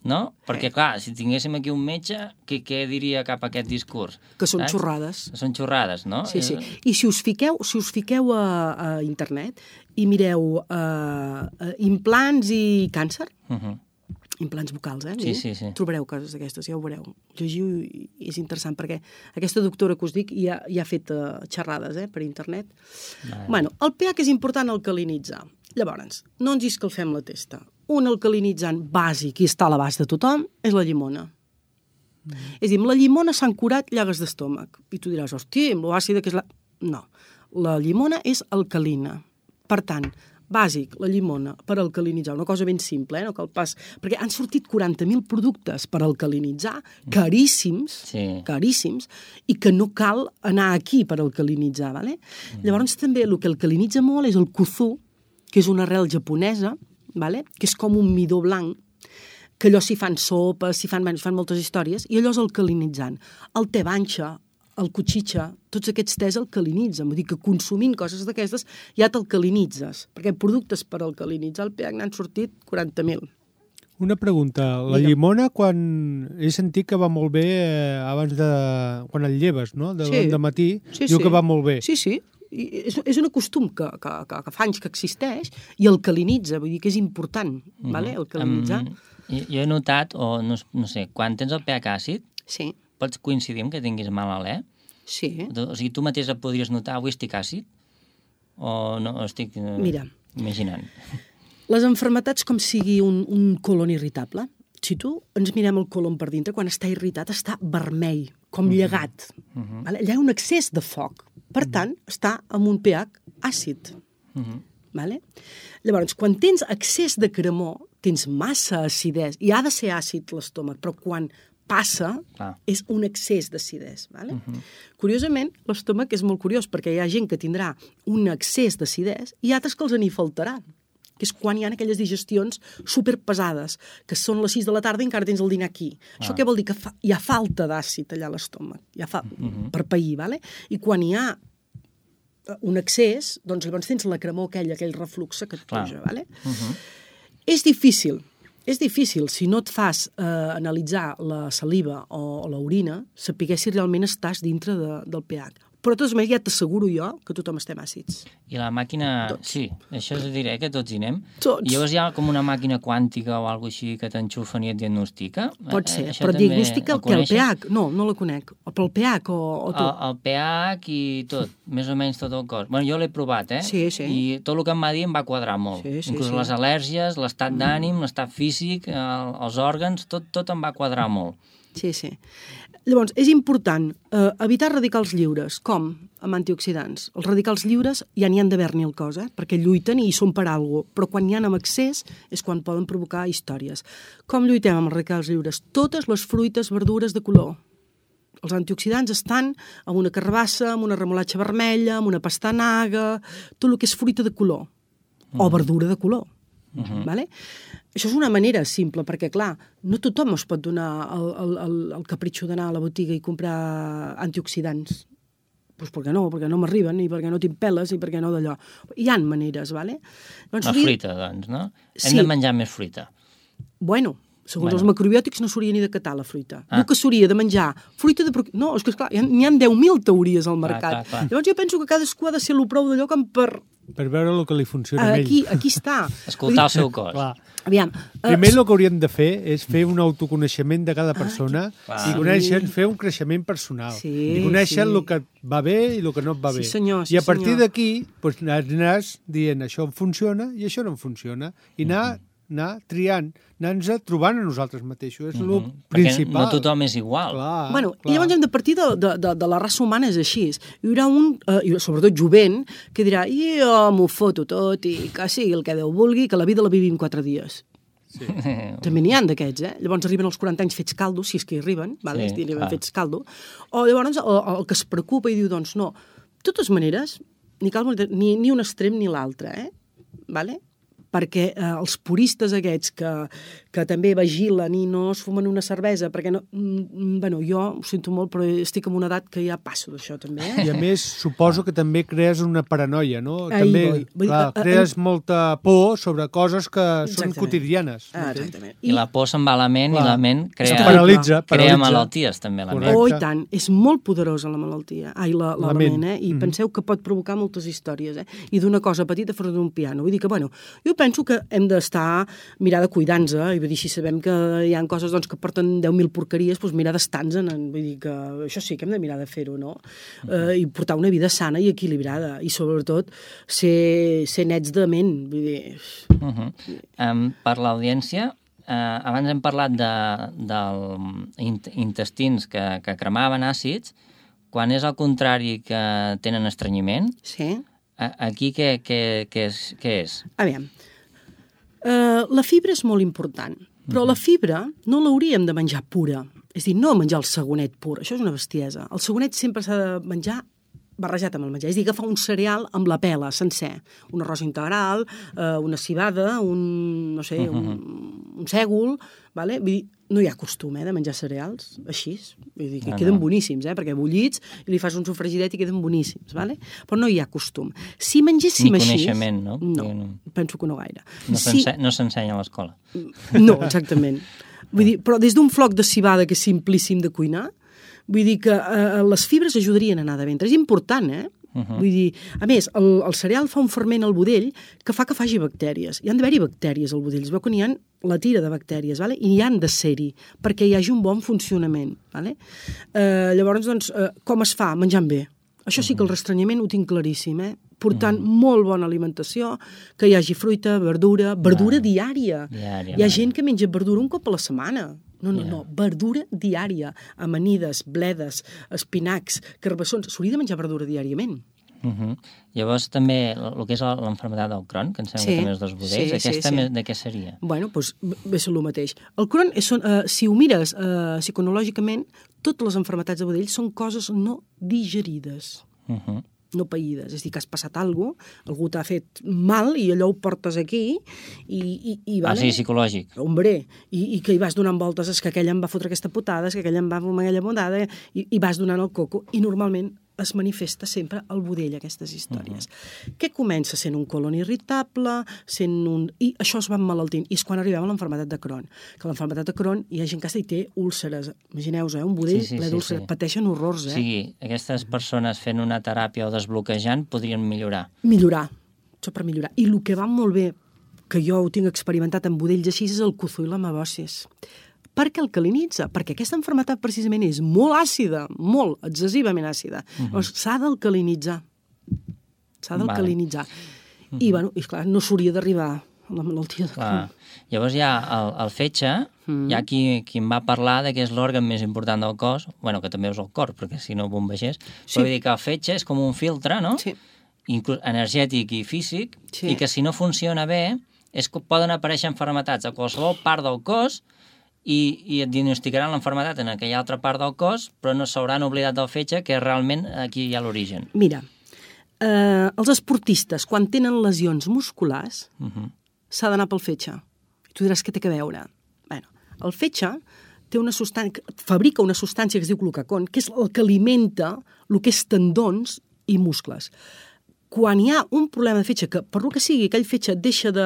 no? Perquè, clar, si tinguéssim aquí un metge, què diria cap a aquest discurs? Que són xorrades. Que són xorrades, no? Sí. I si us fiqueu a internet i mireu implants i càncer, implants vocals, Sí. trobareu coses d'aquestes, ja ho veureu. Llegiu i és interessant, perquè aquesta doctora que us dic ja ha fet xerrades per internet. El pH és important alcalinitzar. Llavors, no ens escalfem la testa. Un alcalinitzant bàsic i està a l'abast de tothom és la llimona. És a dir, amb la llimona s'han curat llagues d'estómac. I tu diràs, hòstia, amb l'àcida que és la... No, la llimona és alcalina. Per tant, bàsic, la llimona, per alcalinitzar. Una cosa ben simple, no cal pas... Perquè han sortit 40.000 productes per alcalinitzar, caríssims, i que no cal anar aquí per alcalinitzar, vale? Llavors també el que alcalinitza molt és el kudzu, que és una arrel japonesa, vale? Que és com un midó blanc, que allò s'hi fan sopes, s'hi fan moltes històries, i allò és alcalinitzant. El te banxa, el kuchicha, tots aquests tés alcalinitzen. Vull dir que consumint coses d'aquestes ja t'alcalinitzes, perquè productes per alcalinitzar el pH n'han sortit 40.000. Una pregunta. La llimona, quan he sentit que va molt bé abans de... quan el lleves, no? De matí, diu que va molt bé. Sí. És un costum que fa anys que existeix i alcalinitza, vull dir que és important, alcalinitzar. Jo he notat, o no sé, quan tens el pH àcid, pots coincidir que tinguis mal alè? Sí. O sigui, tu mateix et podries notar, avui estic àcid? O no, estic imaginant? Les malalties com sigui un colon irritable, si tu ens mirem el colon per dintre, quan està irritat està vermell, com llegat. Allà hi ha un excés de foc. Per tant, està amb un pH àcid. Llavors, quan tens excés de cremor, tens massa acidesa, i ha de ser àcid l'estómac, però quan passa és un excés d'acidesa. Curiosament, l'estómac és molt curiós, perquè hi ha gent que tindrà un excés d'acidesa i altres que els n'hi faltarà, que és quan hi ha aquelles digestions superpesades, que són les 6 de la tarda i encara tens el dinar aquí. Això què vol dir? Que hi ha falta d'àcid allà a l'estómac, per pair, i quan hi ha un excés, doncs llavors tens la cremor aquell reflux que et puja. És difícil, si no et fas analitzar la saliva o l'orina, saber si realment estàs dintre del pH. Però de totes maneres ja t'asseguro jo que tothom estem àcids. I la màquina... Tots. Sí, això és dir, que tots hi anem. Tots. I llavors hi ha com una màquina quàntica o alguna així que t'enxufen i et diagnostica? Pot ser, però diagnostica el pH? No la conec. Però el pH o tu? El pH i tot, més o menys tot el cos. Bueno, jo l'he provat, Sí. I tot el que em va dir em va quadrar molt. Inclús les al·lèrgies, l'estat d'ànim, l'estat físic, els òrgans, tot em va quadrar molt. Sí. Llavors, és important evitar radicals lliures. Com? Amb antioxidants. Els radicals lliures ja n'hi han d'haver-n'hi el cos, perquè lluiten i hi són per alguna cosa, però quan n'hi ha en excés és quan poden provocar històries. Com lluitem amb els radicals lliures? Totes les fruites, verdures de color. Els antioxidants estan en una carbassa, en una remolatxa vermella, en una pastanaga, tot el que és fruita de color, o verdura de color. Vale? Això és una manera simple, perquè, clar, no tothom es pot donar el capritxo d'anar a la botiga i comprar antioxidants. Doncs perquè no m'arriben, i perquè no tinc peles, i perquè no d'allò. Hi ha maneres, vale? Doncs la fruita, doncs, no? Hem de menjar més fruita. Bueno, segons els macrobiòtics no s'hauria ni de catar la fruita. Diu que s'hauria de menjar fruita de... No, és que, esclar, n'hi ha 10.000 teories al mercat. Clar. Llavors jo penso que cadascú ha de ser lo prou d'allò com per veure el que li funciona a ell. Aquí està. Escoltar el seu cos. Aviam. Primer el que hauríem de fer és fer un autoconeixement de cada persona i fer un creixement personal. I conèixer el que va bé i el que no et va bé. I a partir d'aquí aniràs dient això em funciona i això no em funciona. I anar triant, anar-nos trobant a nosaltres mateixos. És el principal. Perquè no tothom és igual. I llavors hem de partir de la raça humana, és així. Hi haurà un, sobretot jovent, que dirà jo m'ho foto tot i que sigui el que Déu vulgui, que la vida la vivim 4 dies. Sí. També n'hi ha d'aquests, Llavors arriben als 40 anys fets caldo, si és que hi arriben, fets caldo. O llavors el que es preocupa i diu, doncs no, de totes maneres, ni un extrem ni l'altre, Vale? Perquè els puristes aquests que també vigilen i no es fumen una cervesa, perquè no... Bueno, jo ho sento molt, però estic en una edat que ja passo d'això, també. I a més, suposo que també crees una paranoia, no? També, crees molta por sobre coses que són quotidianes. Exactament. I la por se'n va a la ment, i la ment paralitza. Crea malalties, també, la ment. Oh, i tant. És molt poderosa la malaltia. La ment, I penseu que pot provocar moltes històries, I d'una cosa petita fora d'un piano. Vull dir que, bueno, jo penso que hem d'estar, mirar de cuidar-nos, i vull dir, si sabem que hi ha coses que porten 10.000 porqueries, doncs mirar d'estar-nos, vull dir que això sí que hem de mirar de fer-ho, no? I portar una vida sana i equilibrada, i sobretot ser nets de ment, vull dir... Per l'audiència, abans hem parlat dels intestins que cremaven àcids, quan és al contrari que tenen estrenyiment, aquí què és? Aviam, la fibra és molt important, però la fibra no l'hauríem de menjar pura. És a dir, no menjar el segonet pur, això és una bestiesa. El segonet sempre s'ha de menjar barrejat amb el menjar. És a dir, agafar un cereal amb la pela, sencer. Un arròs integral, una cibada, un sègol, vale? Vull dir, no hi ha costum, de menjar cereals així. Vull dir que queden boníssims, perquè bullits i li fas un sofregidet i queden boníssims, vale? Però no hi ha costum. Si mengéssim així... Ni coneixement, no? No, penso que no gaire. No s'ensenya a l'escola. No, exactament. Vull dir, però des d'un floc de cibada que és simplíssim de cuinar, vull dir que les fibres ajudarien a anar de ventre. És important, Vull dir, a més, el cereal fa un ferment al budell que fa que faci bactèries. Hi han d'haver-hi bactèries al budell. Es veu que n'hi ha la tira de bactèries, vale? I hi han de ser-hi perquè hi hagi un bon funcionament. Vale? Llavors, doncs, com es fa? Menjant bé. Això sí que el restrenyiment ho tinc claríssim, portant molt bona alimentació, que hi hagi fruita, verdura diària. Hi ha gent que menja verdura un cop a la setmana. No, verdura diària, amanides, bledes, espinacs, carbassons, s'hauria de menjar verdura diàriament. Llavors també el que és l'enfermedat del Crohn, que em sembla que també és dels budells, aquesta de què seria? Bueno, doncs és el mateix. El Crohn, si ho mires psicològicament, totes les enfermetats de budell són coses no digerides. No païdes, és a dir, que has passat alguna cosa, algú t'ha fet mal i allò ho portes aquí i vale? Sí, psicològic. Hombre, i que hi vas donant voltes, és que aquell em va fotre aquesta putada, és que aquell em va fumar aquella bondada, i vas donant el coco, i normalment es manifesta sempre al budell, aquestes històries. Què comença sent un colon irritable, i això es va emmalaltint, i és quan arribem a l'enfermedat de Crohn. Que l'enfermedat de Crohn hi ha gent que hi té úlceres. Imagineu-vos, un budell ple d'úlceres. Pateixen horrors, O sigui, aquestes persones fent una teràpia o desbloquejant podrien millorar. Millorar, això per millorar. I el que va molt bé, que jo ho tinc experimentat en budells així, és el cozó i l'amabosis. Per què alcalinitza? Perquè aquesta malaltia precisament és molt àcida, molt excessivament àcida. Llavors s'ha d'alcalinitzar. I, bueno, esclar, no s'hauria d'arribar a la malaltia de Crohn. Llavors hi ha el fetge, hi ha qui em va parlar que és l'òrgan més important del cos, bueno, que també és el cor, perquè si no bombegés, però vull dir que el fetge és com un filtre, no? Sí. Inclús energètic i físic, i que si no funciona bé, és que poden aparèixer malalties a qualsevol part del cos i et diagnosticaran l'enfermedat en aquella altra part del cos, però no s'hauran oblidat del fetge, que realment aquí hi ha l'origen. Mira, els esportistes, quan tenen lesions musculars, s'ha d'anar pel fetge. I tu diràs, què té a veure? Bueno, el fetge té una substància, fabrica una substància que es diu glucagón, que és el que alimenta el que és tendons i muscles. Quan hi ha un problema de fetge, que per lo que sigui, aquell fetge deixa de...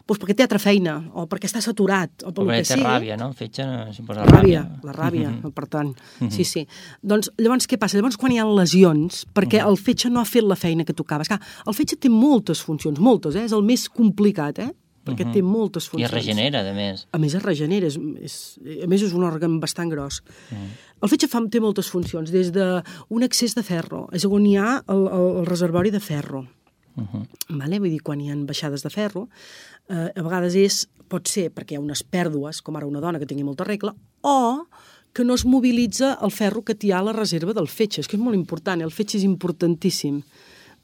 Doncs perquè té altra feina, o perquè està saturat, o per lo que sigui... Perquè té ràbia, no? El fetge s'hi posa ràbia. La ràbia, per tant. Sí. Doncs llavors què passa? Llavors quan hi ha lesions, perquè el fetge no ha fet la feina que tocava. Esclar, el fetge té moltes funcions, moltes, és el més complicat, perquè té moltes funcions. I es regenera, a més. A més, es regenera. A més, és un òrgan bastant gros. El fetge té moltes funcions, des d'un excés de ferro, és on hi ha el reservori de ferro. Vull dir, quan hi ha baixades de ferro, a vegades pot ser perquè hi ha unes pèrdues, com ara una dona que tingui molta regla, o que no es mobilitza el ferro que hi ha a la reserva del fetge. És que és molt important, el fetge és importantíssim.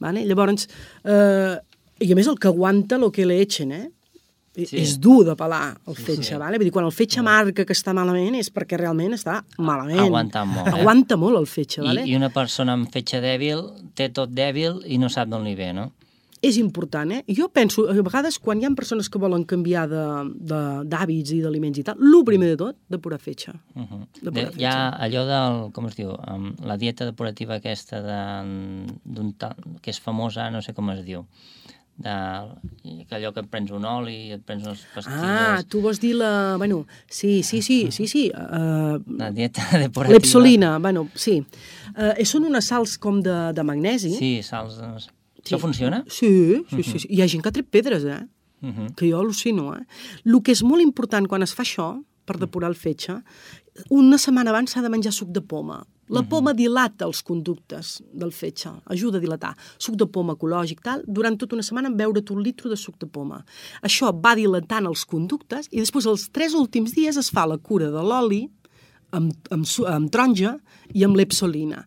Llavors, i a més el que aguanta el que le echen, és dur de pelar el fetge, vull dir, quan el fetge marca que està malament és perquè realment està malament. Aguanta molt. Aguanta molt el fetge, I una persona amb fetge dèbil té tot dèbil i no sap d'on li ve, no? És important, Jo penso, a vegades, quan hi ha persones que volen canviar d'hàbits i d'aliments i tal, el primer de tot, depurar fetge. Hi ha allò del, com es diu, la dieta depurativa aquesta que és famosa, no sé com es diu, allò que et prens un oli i et prens unes pastilles... Tu vols dir la... Bueno, sí. La dieta depurativa. L'epsolina, sí. Són unes sals com de magnesi. Sí, sals de... Això funciona? Sí. Hi ha gent que ha tret pedres, que jo al·lucino, El que és molt important quan es fa això, per depurar el fetge, una setmana abans s'ha de menjar suc de poma. La poma dilata els conductes del fetge, ajuda a dilatar. Suc de poma ecològic, tal, durant tota una setmana beure't 1 litre de suc de poma. Això va dilatant els conductes i després els 3 últims dies es fa la cura de l'oli amb taronja i amb l'epsolina.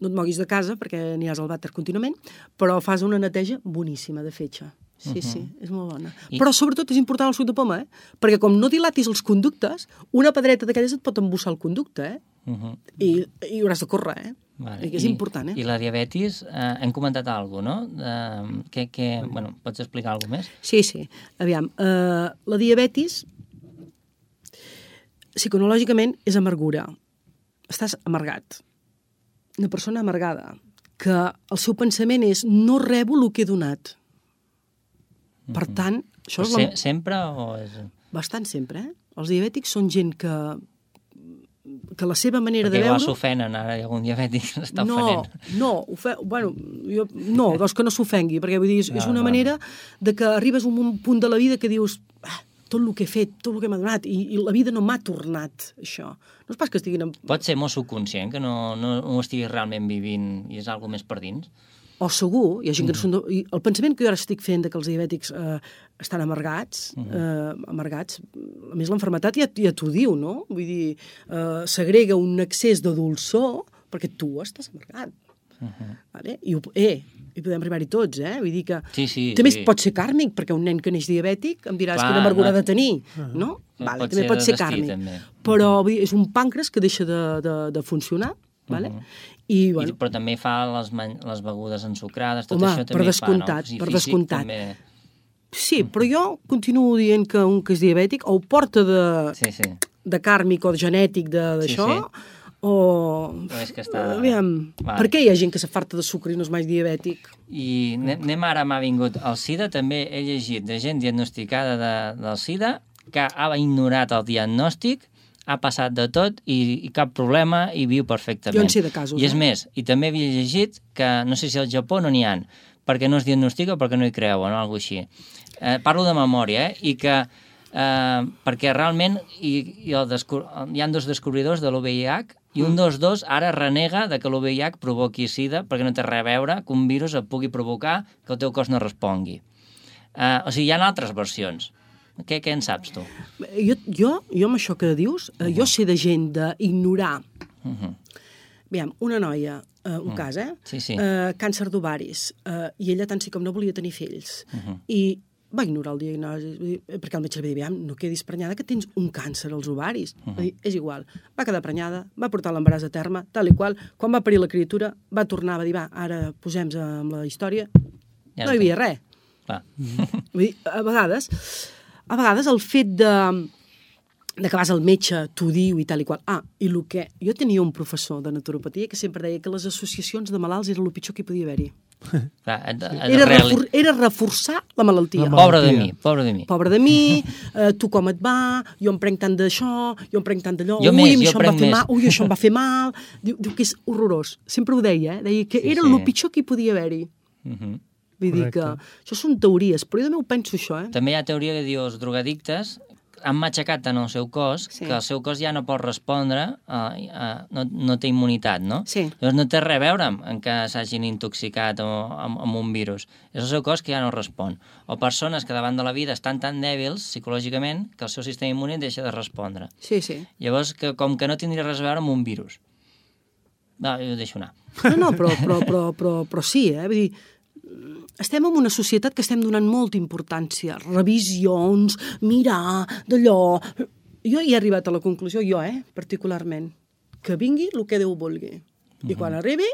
No et moguis de casa perquè aniràs al vàter contínuament, però fas una neteja boníssima de fetge. Sí, és molt bona. Però sobretot és important el suc de poma, perquè com no dilatis els conductes, una pedreta d'aquelles et pot embussar el conducte, i hauràs de córrer, Vale. És important, I la diabetis, hem comentat alguna cosa, no? Bueno, pots explicar alguna cosa més? Sí. Aviam, la diabetis, psicològicament, és amargura. Estàs amargat. Una persona amargada, que el seu pensament és no rebo el que he donat. Per tant... Això és sempre o és...? Bastant sempre, Els diabètics són gent que la seva manera de veure... Perquè s'ofenen, ara hi ha algun diabètic que s'està ofenent. No, doncs que no s'ofengui, perquè vull dir, és una manera de que arribes a un punt de la vida que dius tot el que he fet, tot el que m'ha donat, i la vida no m'ha tornat, això. No és pas que estiguin... Pot ser molt subconscient, que no ho estiguis realment vivint i és alguna més per dins? O segur, hi ha gent que no són... El pensament que jo ara estic fent que els diabètics estan amargats, a més l'enfermetat ja t'ho diu, no? Vull dir, s'agrega un excés de dolçor perquè tu estàs amargat. Vale? I podem arribar-hi tots, Vull dir que... També pot ser càrmic, perquè un nen que neix diabètic em diràs quina amargura ha de tenir, no? També pot ser càrmic. Però és un pàncreas que deixa de funcionar, vale? Però també fa les begudes ensucrades, tot això també fa, no? Per descomptat. Sí, però jo continuo dient que un que és diabètic o porta de càrmic o de genètic d'això, o... Per què hi ha gent que s'afarta de sucre i no és mai diabètic? I anem ara, m'ha vingut el SIDA, també he llegit de gent diagnosticada del SIDA que ha ignorat el diagnòstic, ha passat de tot i cap problema i viu perfectament. Jo en sé de casos. I és més, i també havia llegit que no sé si al Japó no n'hi ha, perquè no es diagnostica o perquè no hi creuen o alguna cosa així. Parlo de memòria, i que perquè realment hi ha 2 descobridors de l'OVIH i un dels 2 ara renega de que l'OVIH provoqui SIDA perquè no té res a veure que un virus et pugui provocar que el teu cos no respongui. O sigui, hi ha altres versions. Què en saps, tu? Jo amb això que dius, jo sé de gent d'ignorar. Aviam, una noia, un cas, càncer d'ovaris, i ella tant sí com no volia tenir fills. I va ignorar el diagnòstic, perquè el metge li va dir, aviam, no quedis prenyada que tens un càncer als ovaris. Va dir, és igual. Va quedar prenyada, va portar l'embaràs a terme, tal i qual. Quan va parir la criatura, va tornar, va dir, ara posem-nos amb la història. No hi havia res. Clar. Vull dir, a vegades el fet de que vas al metge, t'ho diu i tal i qual. I el que... Jo tenia un professor de naturopatia que sempre deia que les associacions de malalts era el pitjor que hi podia haver-hi. Era reforçar la malaltia. Pobre de mi. Pobre de mi, tu com et va, jo em prenc tant d'això, jo em prenc tant d'allò, jo això em va fer mal. Diu que és horrorós. Sempre ho deia, deia que era el pitjor que hi podia haver-hi. Vull dir que això són teories, però jo també ho penso, això. També hi ha teoria que diu els drogadictes han matxacat tant el seu cos que el seu cos ja no pot respondre, no té immunitat, no? Sí. Llavors no té res a veure amb que s'hagin intoxicat amb un virus. És el seu cos que ja no respon. O persones que davant de la vida estan tan dèbils psicològicament que el seu sistema immune deixa de respondre. Sí. Llavors, com que no tindria res a veure amb un virus. No, jo ho deixo anar. No, però sí, Vull dir, estem en una societat que estem donant molta importància. Revisions, mirar, d'allò... Jo hi he arribat a la conclusió, particularment, que vingui el que Déu vulgui. I quan arribi,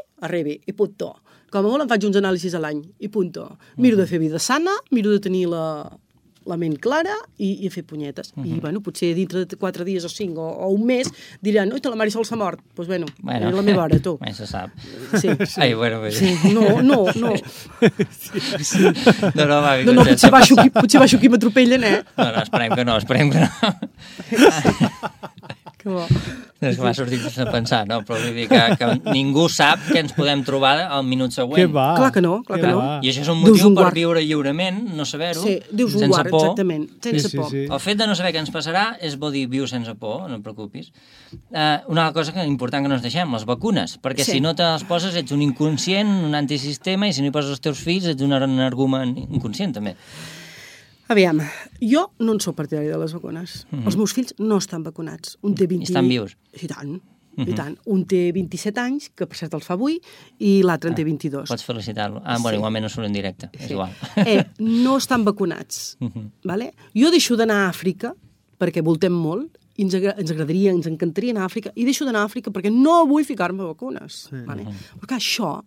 i punto. Com a molt em faig uns anàlisis a l'any, i punto. Miro de fer vida sana, miro de tenir la ment clara i a fer punyetes. I, potser dintre de 4 dies o 5 o un mes diran, oi, la Marisol s'ha mort. Doncs, és la meva hora, tu. Mai se sap. Sí. Ai, bueno, bé. Sí, no. Sí. No, potser baixo aquí m'atropellen, No, esperem que no. Que bo. És que m'ha sortit a pensar, no? Però vull dir que ningú sap què ens podem trobar al minut següent. Què va? Clar que no. I això és un motiu per viure lliurement, no saber-ho, sense por. Exactament, sense por. Sí. El fet de no saber què ens passarà és bo dir viu sense por, no et preocupis. Una cosa important que no ens deixem, les vacunes, perquè si no te les poses ets un inconscient, un antisistema, i si no hi poses els teus fills ets un argument inconscient, també. Aviam, jo no en soc partidari de les vacunes. Els meus fills no estan vacunats. Un té 20... Estan vius? I tant. Un té 27 anys, que per cert els fa avui, i l'altre en té 22. Pots felicitar-lo. Igualment no surt en directe, és igual. No estan vacunats. Vale? Jo deixo d'anar a Àfrica, perquè voltem molt, i ens agradaria, ens encantaria anar a Àfrica, i deixo d'anar a Àfrica perquè no vull ficar-me vacunes. Vale? Perquè això...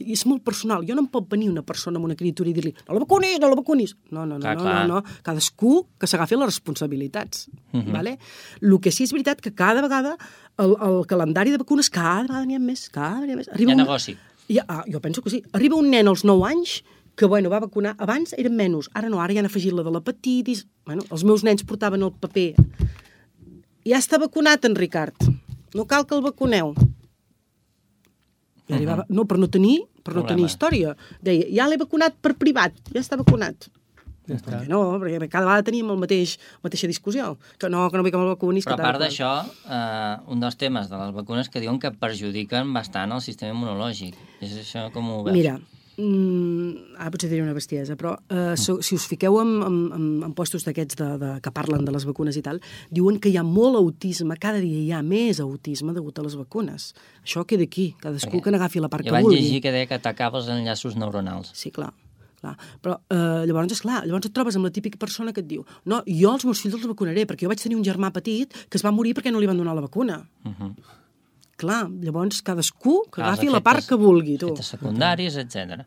és molt personal. Jo no em pot venir una persona amb una criatura i dir-li no la vacunis. No. Cadascú que s'agafi les responsabilitats. Vale? El que sí és veritat que cada vegada el calendari de vacunes cada vegada n'hi ha més. Hi ha negoci. Jo penso que sí. Arriba un nen als 9 anys que va vacunar. Abans eren menys. Ara no, ara ja han afegit la de l'hepatitis. Els meus nens portaven el paper. Ja està vacunat, en Ricard. No cal que el vacuneu. No, per no tenir història. Deia, ja l'he vacunat per privat, ja està vacunat. Ja està. Perquè cada vegada teníem mateixa discussió. Que no vull que me'l vacunis. Però a part d'això, un dels temes de les vacunes que diuen que perjudiquen bastant el sistema immunològic. És això com ho veus? Mira, potser diré una bestiesa, però si us fiqueu en puestos d'aquests que parlen de les vacunes i tal, diuen que hi ha molt autisme, cada dia hi ha més autisme degut a les vacunes. Això queda aquí, cadascú que n'agafi la part que vulgui. Jo vaig llegir que deia que atacava els enllaços neuronals. Sí, clar. Però llavors et trobes amb la típica persona que et diu no, jo els meus fills els vacunaré perquè jo vaig tenir un germà petit que es va morir perquè no li van donar la vacuna. Clar, llavors cadascú que agafi la part que vulgui. Efectes secundaris, etc.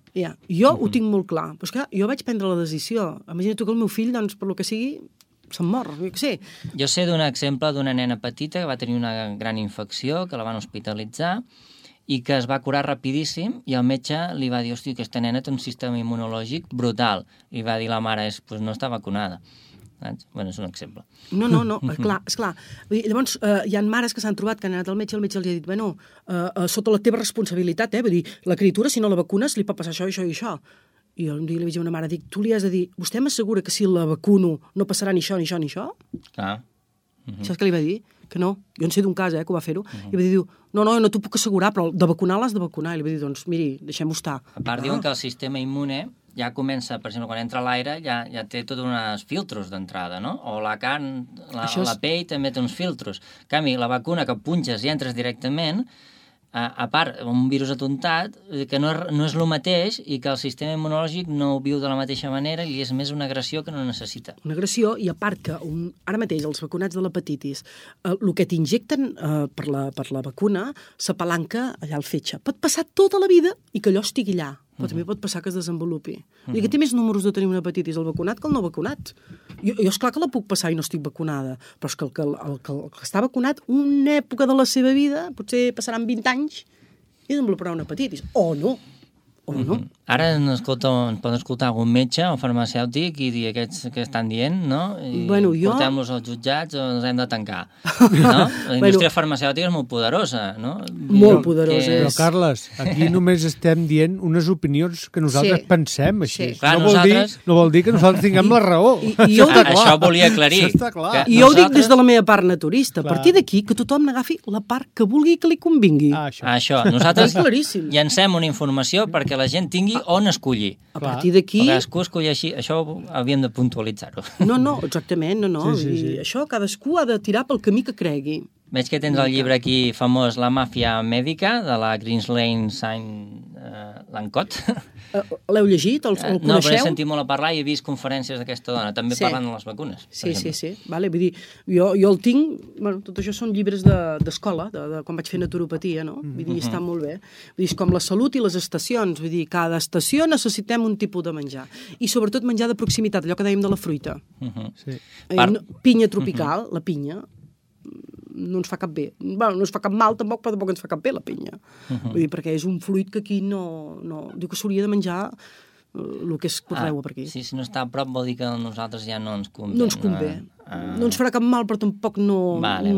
Jo ho tinc molt clar. Però és que jo vaig prendre la decisió. Imagina't tu que el meu fill, doncs, per lo que sigui, se'n mor, jo què sé. Jo sé d'un exemple d'una nena petita que va tenir una gran infecció, que la van hospitalitzar, i que es va curar rapidíssim, i el metge li va dir, hòstia, aquesta nena té un sistema immunològic brutal. I va dir la mare, no està vacunada. Bueno, és un exemple. No, esclar. Llavors, hi ha mares que s'han trobat que han anat al metge, i el metge els ha dit, bueno, sota la teva responsabilitat, vull dir, la criatura, si no la vacunes, li pot passar això, això i això. I jo un dia li vaig dir a una mare, dic, tu li has de dir, vostè m'assegura que si la vacuno no passarà ni això, ni això, ni això? Clar. Saps què li va dir? Que no. Jo en sé d'un cas, que ho va fer-ho. I va dir, no t'ho puc assegurar, però de vacunar l'has de vacunar. I li va dir, doncs, miri, deixem-ho estar. A part, diuen que el sistema immune ja comença, per exemple, quan entra l'aire, ja té tots uns filtros d'entrada, no? O la carn, la pell també té uns filtros. En canvi, la vacuna que punxes i entres directament, a part, un virus atontat, que no és el mateix i que el sistema immunològic no ho viu de la mateixa manera i és més una agressió que no necessita. Una agressió, i a part que ara mateix els vacunats de l'hepatitis, el que t'injecten per la vacuna s'apalanca allà al fetge. Pot passar tota la vida i que allò estigui allà. però també pot passar que es desenvolupi. Vull dir que té més números de tenir una hepatitis el vacunat que el no vacunat. Jo esclar que la puc passar i no estic vacunada, però és que el que està vacunat, una època de la seva vida, potser passaran 20 anys i desenvoluparà una hepatitis. O no. Ara ens pot escoltar algun metge o farmacèutic i dir aquests que estan dient, no? I portem-los als jutjats o ens hem de tancar. No? La indústria farmacèutica és molt poderosa, no? Molt poderosa. Però, Carles, aquí només estem dient unes opinions que nosaltres pensem així. Clar, no vol dir que nosaltres tinguem la raó. Això volia aclarir. Això està clar. I jo ho dic des de la meva part naturista. A partir d'aquí, que tothom n'agafi la part que vulgui que li convingui. Això. Nosaltres llancem una informació perquè la gent tingui on escollir. A partir d'aquí... Cadascú escollir així. Això havíem de puntualitzar-ho. No, exactament, no. Sí. Això cadascú ha de tirar pel camí que cregui. Veig que tens el llibre aquí famós, La màfia mèdica, de la Greenslane Lancot. L'heu llegit? El coneixeu? No, però he sentit molt a parlar i he vist conferències d'aquesta dona, també parlant de les vacunes. Sí. Vale, vull dir, jo el tinc... Bueno, tot això són llibres d'escola, de quan vaig fer naturopatia, no? Vull dir, està molt bé. Vull dir, és com la salut i les estacions. Vull dir, cada estació necessitem un tipus de menjar. I sobretot menjar de proximitat, allò que dèiem de la fruita. Pinya tropical, la pinya, no ens fa cap bé. Bueno, no ens fa cap mal tampoc, però tampoc ens fa cap bé la pinya. Vull dir, perquè és un fruit que aquí no... Diu que s'hauria de menjar el que es correu per aquí. Sí, si no està a prop vol dir que a nosaltres ja no ens convé. No ens convé. No ens farà cap mal, però tampoc no... Vale.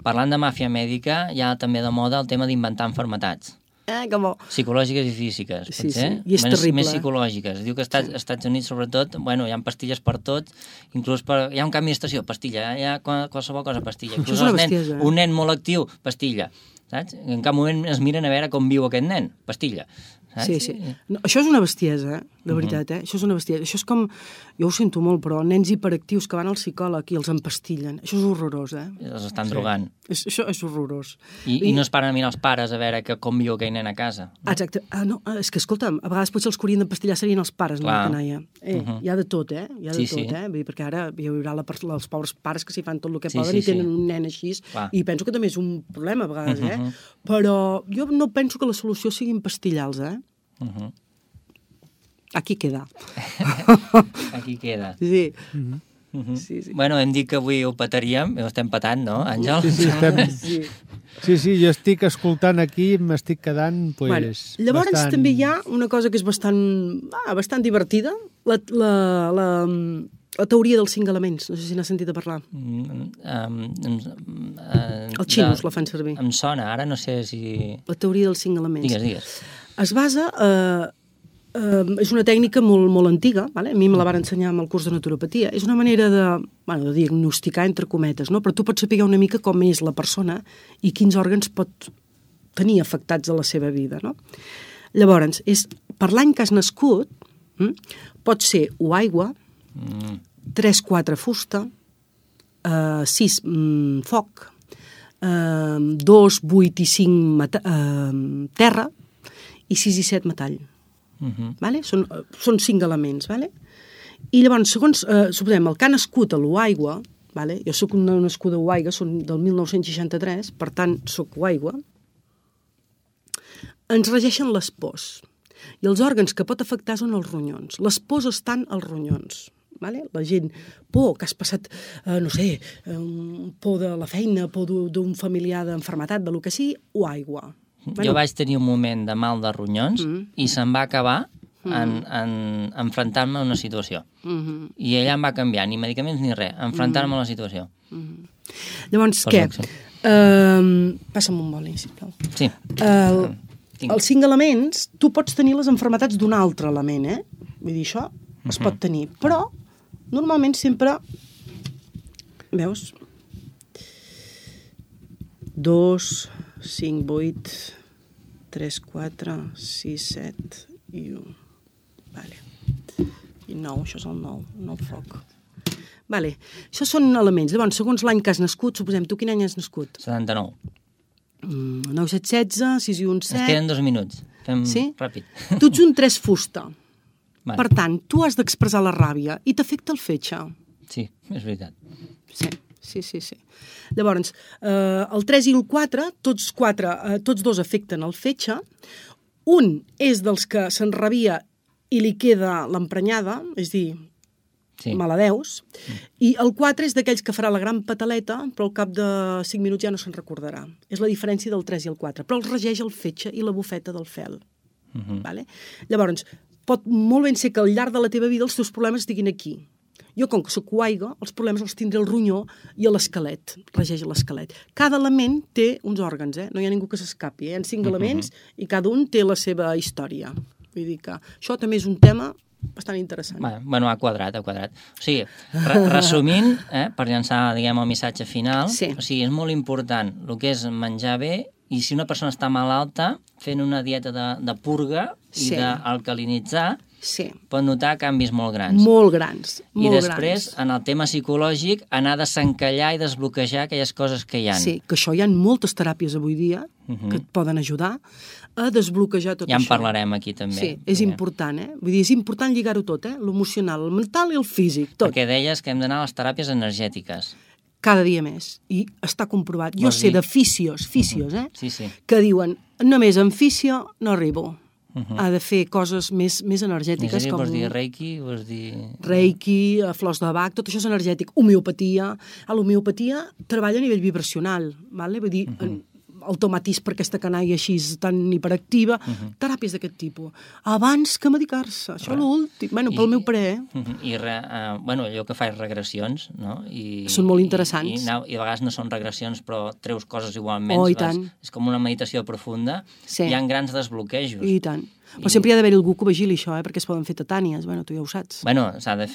Parlant de màfia mèdica, hi ha també de moda el tema d'inventar malalties. Que bo. Psicològiques i físiques, potser. Sí. I és terrible. Més psicològiques. Diu que als Estats Units, sobretot, hi ha pastilles per tot, inclús hi ha un canvi d'estació, pastilla, hi ha qualsevol cosa, pastilla. Això és una bestiesa. Un nen molt actiu, pastilla. Saps? En cap moment es miren a veure com viu aquest nen, pastilla. Saps? Sí. No, això és una bestiesa, de veritat, Això és una bestiesa. Això és com, jo ho sento molt, però nens hiperactius que van al psicòleg i els empastillen. Això és horrorós, Els estan drogant. Això és horrorós. I no es paren a mirar els pares a veure com viu aquell nen a casa. Exacte. No, és que, escolta'm, a vegades potser els que haurien d'empastillar serien els pares, no la canalla. Hi ha de tot, Hi ha de tot. Vull dir, perquè ara hi haurà els pobres pares que s'hi fan tot el que poden i tenen un nen així. I penso que també és un problema, a vegades, Però jo no penso que la solució sigui empastillar-los, Aquí queda. Aquí queda. Sí. Sí. Bueno, hem dit que avui ho petaríem, ho estem petant, no, Àngel? Sí, jo estic escoltant aquí, m'estic quedant, llavors també hi ha una cosa que és bastant divertida, la teoria dels 5 elements, no sé si n'has sentit a parlar. Els xinos la fan servir. Em sona, ara no sé si... La teoria dels 5 elements. Digues. Es basa... és una tècnica molt antiga, a mi me la van ensenyar amb el curs de naturopatia. És una manera de diagnosticar, entre cometes, però tu pots saber una mica com és la persona i quins òrgans pot tenir afectats a la seva vida. Llavors, per l'any que has nascut, pot ser o aigua, 3-4 fusta, 6 foc, 2, 8 i 5 terra i 6 i 7 metall. Són 5 elements. I llavors, segons suposem, el que ha nascut a l'Uaigua, jo soc una nascuda a Uaigua, són del 1963, per tant, soc Uaigua, ens regeixen les pors. I els òrgans que pot afectar són els ronyons. Les pors estan als ronyons. La gent, por, que has passat, por de la feina, por d'un familiar d'enfermetat, de lo que sigui, o aigua. Jo vaig tenir un moment de mal de ronyons i se'm va acabar en enfrontar-me a una situació. I allà em va canviar, ni medicaments ni res, enfrontar-me a la situació. Llavors, què? Passa'm un boli, sisplau. Sí. Els 5 elements, tu pots tenir les enfermetats d'un altre element, Vull dir, això es pot tenir, però normalment sempre, veus, 2, 5, 8, 3, 4, 6, 7 i 1. I 9, això és el 9 foc. Això són elements. Llavors, segons l'any que has nascut, suposem, tu quin any has nascut? 79. 9, 7, 16, 6 i 1, 7... Ens queden 2 minuts. Fem ràpid. Tu ets un 3 fusta. Per tant, tu has d'expressar la ràbia i t'afecta el fetge. Sí, és veritat. Sí. Llavors, el 3 i el 4, tots 2 afecten el fetge. Un és dels que s'enrabia i li queda l'emprenyada, és dir, maladeus, i el 4 és d'aquells que farà la gran pataleta, però al cap de 5 minuts ja no se'n recordarà. És la diferència del 3 i el 4, però els regeix el fetge i la bufeta del fel. Vale? Llavors, pot molt ben ser que al llarg de la teva vida els teus problemes estiguin aquí. Jo, com que soc coaiga, els problemes els tindré al ronyó i a l'esquelet, regeix l'esquelet. Cada element té uns òrgans, no hi ha ningú que s'escapi. Hi ha 5 elements i cada un té la seva història. Vull dir que això també és un tema bastant interessant. Bueno, ha quadrat. O sigui, resumint, per llançar, diguem, el missatge final, o sigui, és molt important el que és menjar bé, i si una persona està malalta, fent una dieta de purga i d'alcalinitzar, pot notar canvis molt grans. Molt grans. I després, en el tema psicològic, anar a desencallar i desbloquejar aquelles coses que hi ha. Sí, que això hi ha moltes teràpies avui dia que et poden ajudar a desbloquejar tot això. Ja en parlarem aquí també. Sí, és important, Vull dir, és important lligar-ho tot, l'emocional, el mental i el físic, tot. Perquè deies que hem d'anar a les teràpies energètiques. Cada dia més. I està comprovat. Jo sé de fisios, que diuen, només en fisio no arribo. Ha de fer coses més energètiques. Vols dir reiki? Reiki, flors de Bach, tot això és energètic. Homeopatia. L'homeopatia treballa a nivell vibracional. Vull dir, automatis per aquesta canalla així tan hiperactiva, teràpies d'aquest tipus. Abans que medicar-se. Això l'últim. Pel meu parer. I allò que fa és regressions, no? Són molt interessants. I a vegades no són regressions, però treus coses igualment. I tant. És com una meditació profunda. Hi ha grans desbloquejos. I tant. Però sempre hi ha d'haver algú que vigili això, perquè es poden fer tetànies. Tu ja ho saps. S'ha de saber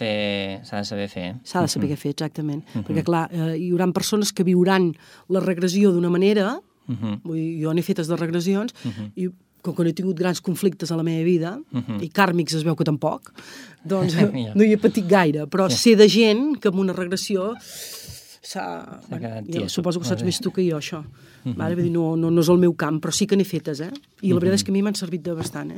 fer. S'ha de saber què fer, exactament. Perquè, clar, hi haurà persones que viuran la regressió d'una manera. Jo n'he fetes de regressions i com que no he tingut grans conflictes a la meva vida i kàrmics es veu que tampoc, doncs no hi he patit gaire, però sé de gent que amb una regressió suposo que saps més tu que jo, això. Vull dir, no és el meu camp, però sí que n'he fetes, i la veritat és que a mi m'han servit de bastant.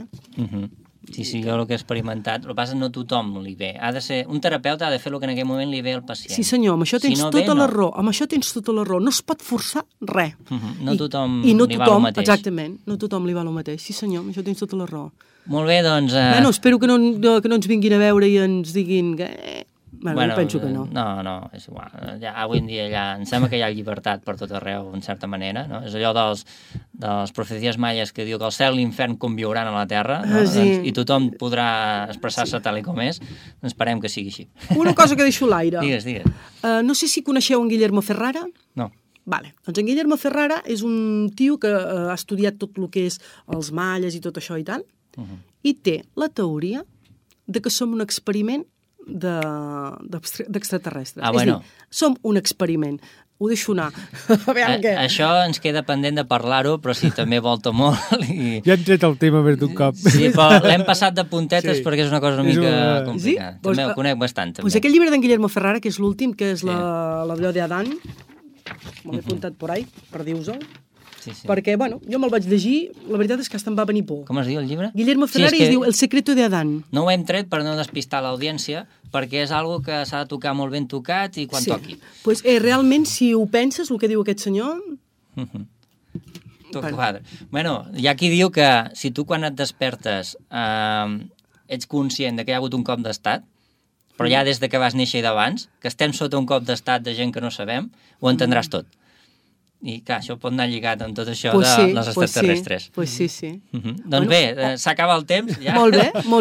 Sí, jo el que he experimentat, el que passa no tothom li ve. Un terapeuta ha de fer el que en aquell moment li ve al pacient. Sí senyor, amb això tens tota la raó. Amb això tens tota la raó. No es pot forçar res. No tothom li va el mateix. Exactament, no tothom li va el mateix. Sí senyor, amb això tens tota la raó. Molt bé, doncs... Espero que no ens vinguin a veure i ens diguin que... jo penso que no. No, és igual. Avui en dia em sembla que hi ha llibertat per tot arreu, en certa manera. No? És allò dels profecies maies que diu que el cel i l'infern conviuran a la terra, no? I tothom podrà expressar-se tal com és. Esperem que sigui així. Una cosa que deixo a l'aire. Digues. No sé si coneixeu en Guillermo Ferrara. No. Doncs en Guillermo Ferrara és un tio que ha estudiat tot el que és els malles i tot això i tal, i té la teoria de que som un experiment d'extraterrestres. És dir, som un experiment. Ho deixo anar. Això ens queda pendent de parlar-ho, però sí, també volta molt. Ja hem tret el tema més d'un cop. Sí, però l'hem passat de puntetes perquè és una cosa una mica complicada. També ho conec bastant. Aquell llibre d'en Guillermo Ferrara, que és l'últim, que és l'Allò d'Adán, me l'he apuntat por ahí, per dir-vos-ho, perquè, jo me'l vaig llegir, la veritat és que hasta em va venir por. Com es diu el llibre? Guillermo Ferrari es diu El secreto de Adán. No ho hem tret per no despistar l'audiència, perquè és algo que s'ha de tocar molt ben tocat i quan toqui. Doncs realment, si ho penses, el que diu aquest senyor... Tot quadre. Hi ha qui diu que si tu quan et despertes ets conscient que hi ha hagut un cop d'estat, però ja des que vas néixer i d'abans, que estem sota un cop d'estat de gent que no sabem, ho entendràs tot. I clar, això pot anar lligat amb tot això de les extraterrestres. Sí. Doncs bé, s'acaba el temps. Molt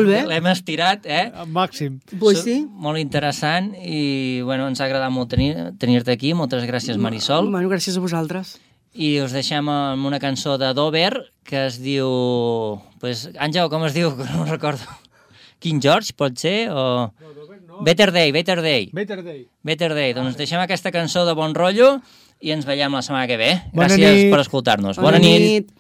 bé. L'hem estirat, Al màxim. Molt interessant i ens ha agradat molt tenir-te aquí. Moltes gràcies, Marisol. Gràcies a vosaltres. I us deixem amb una cançó de Dover que es diu... Àngel, com es diu? No recordo. King George, pot ser? O... Better Day. Doncs deixem aquesta cançó de bon rotllo i ens veiem la setmana que ve. Gràcies per escoltar-nos. Bona nit.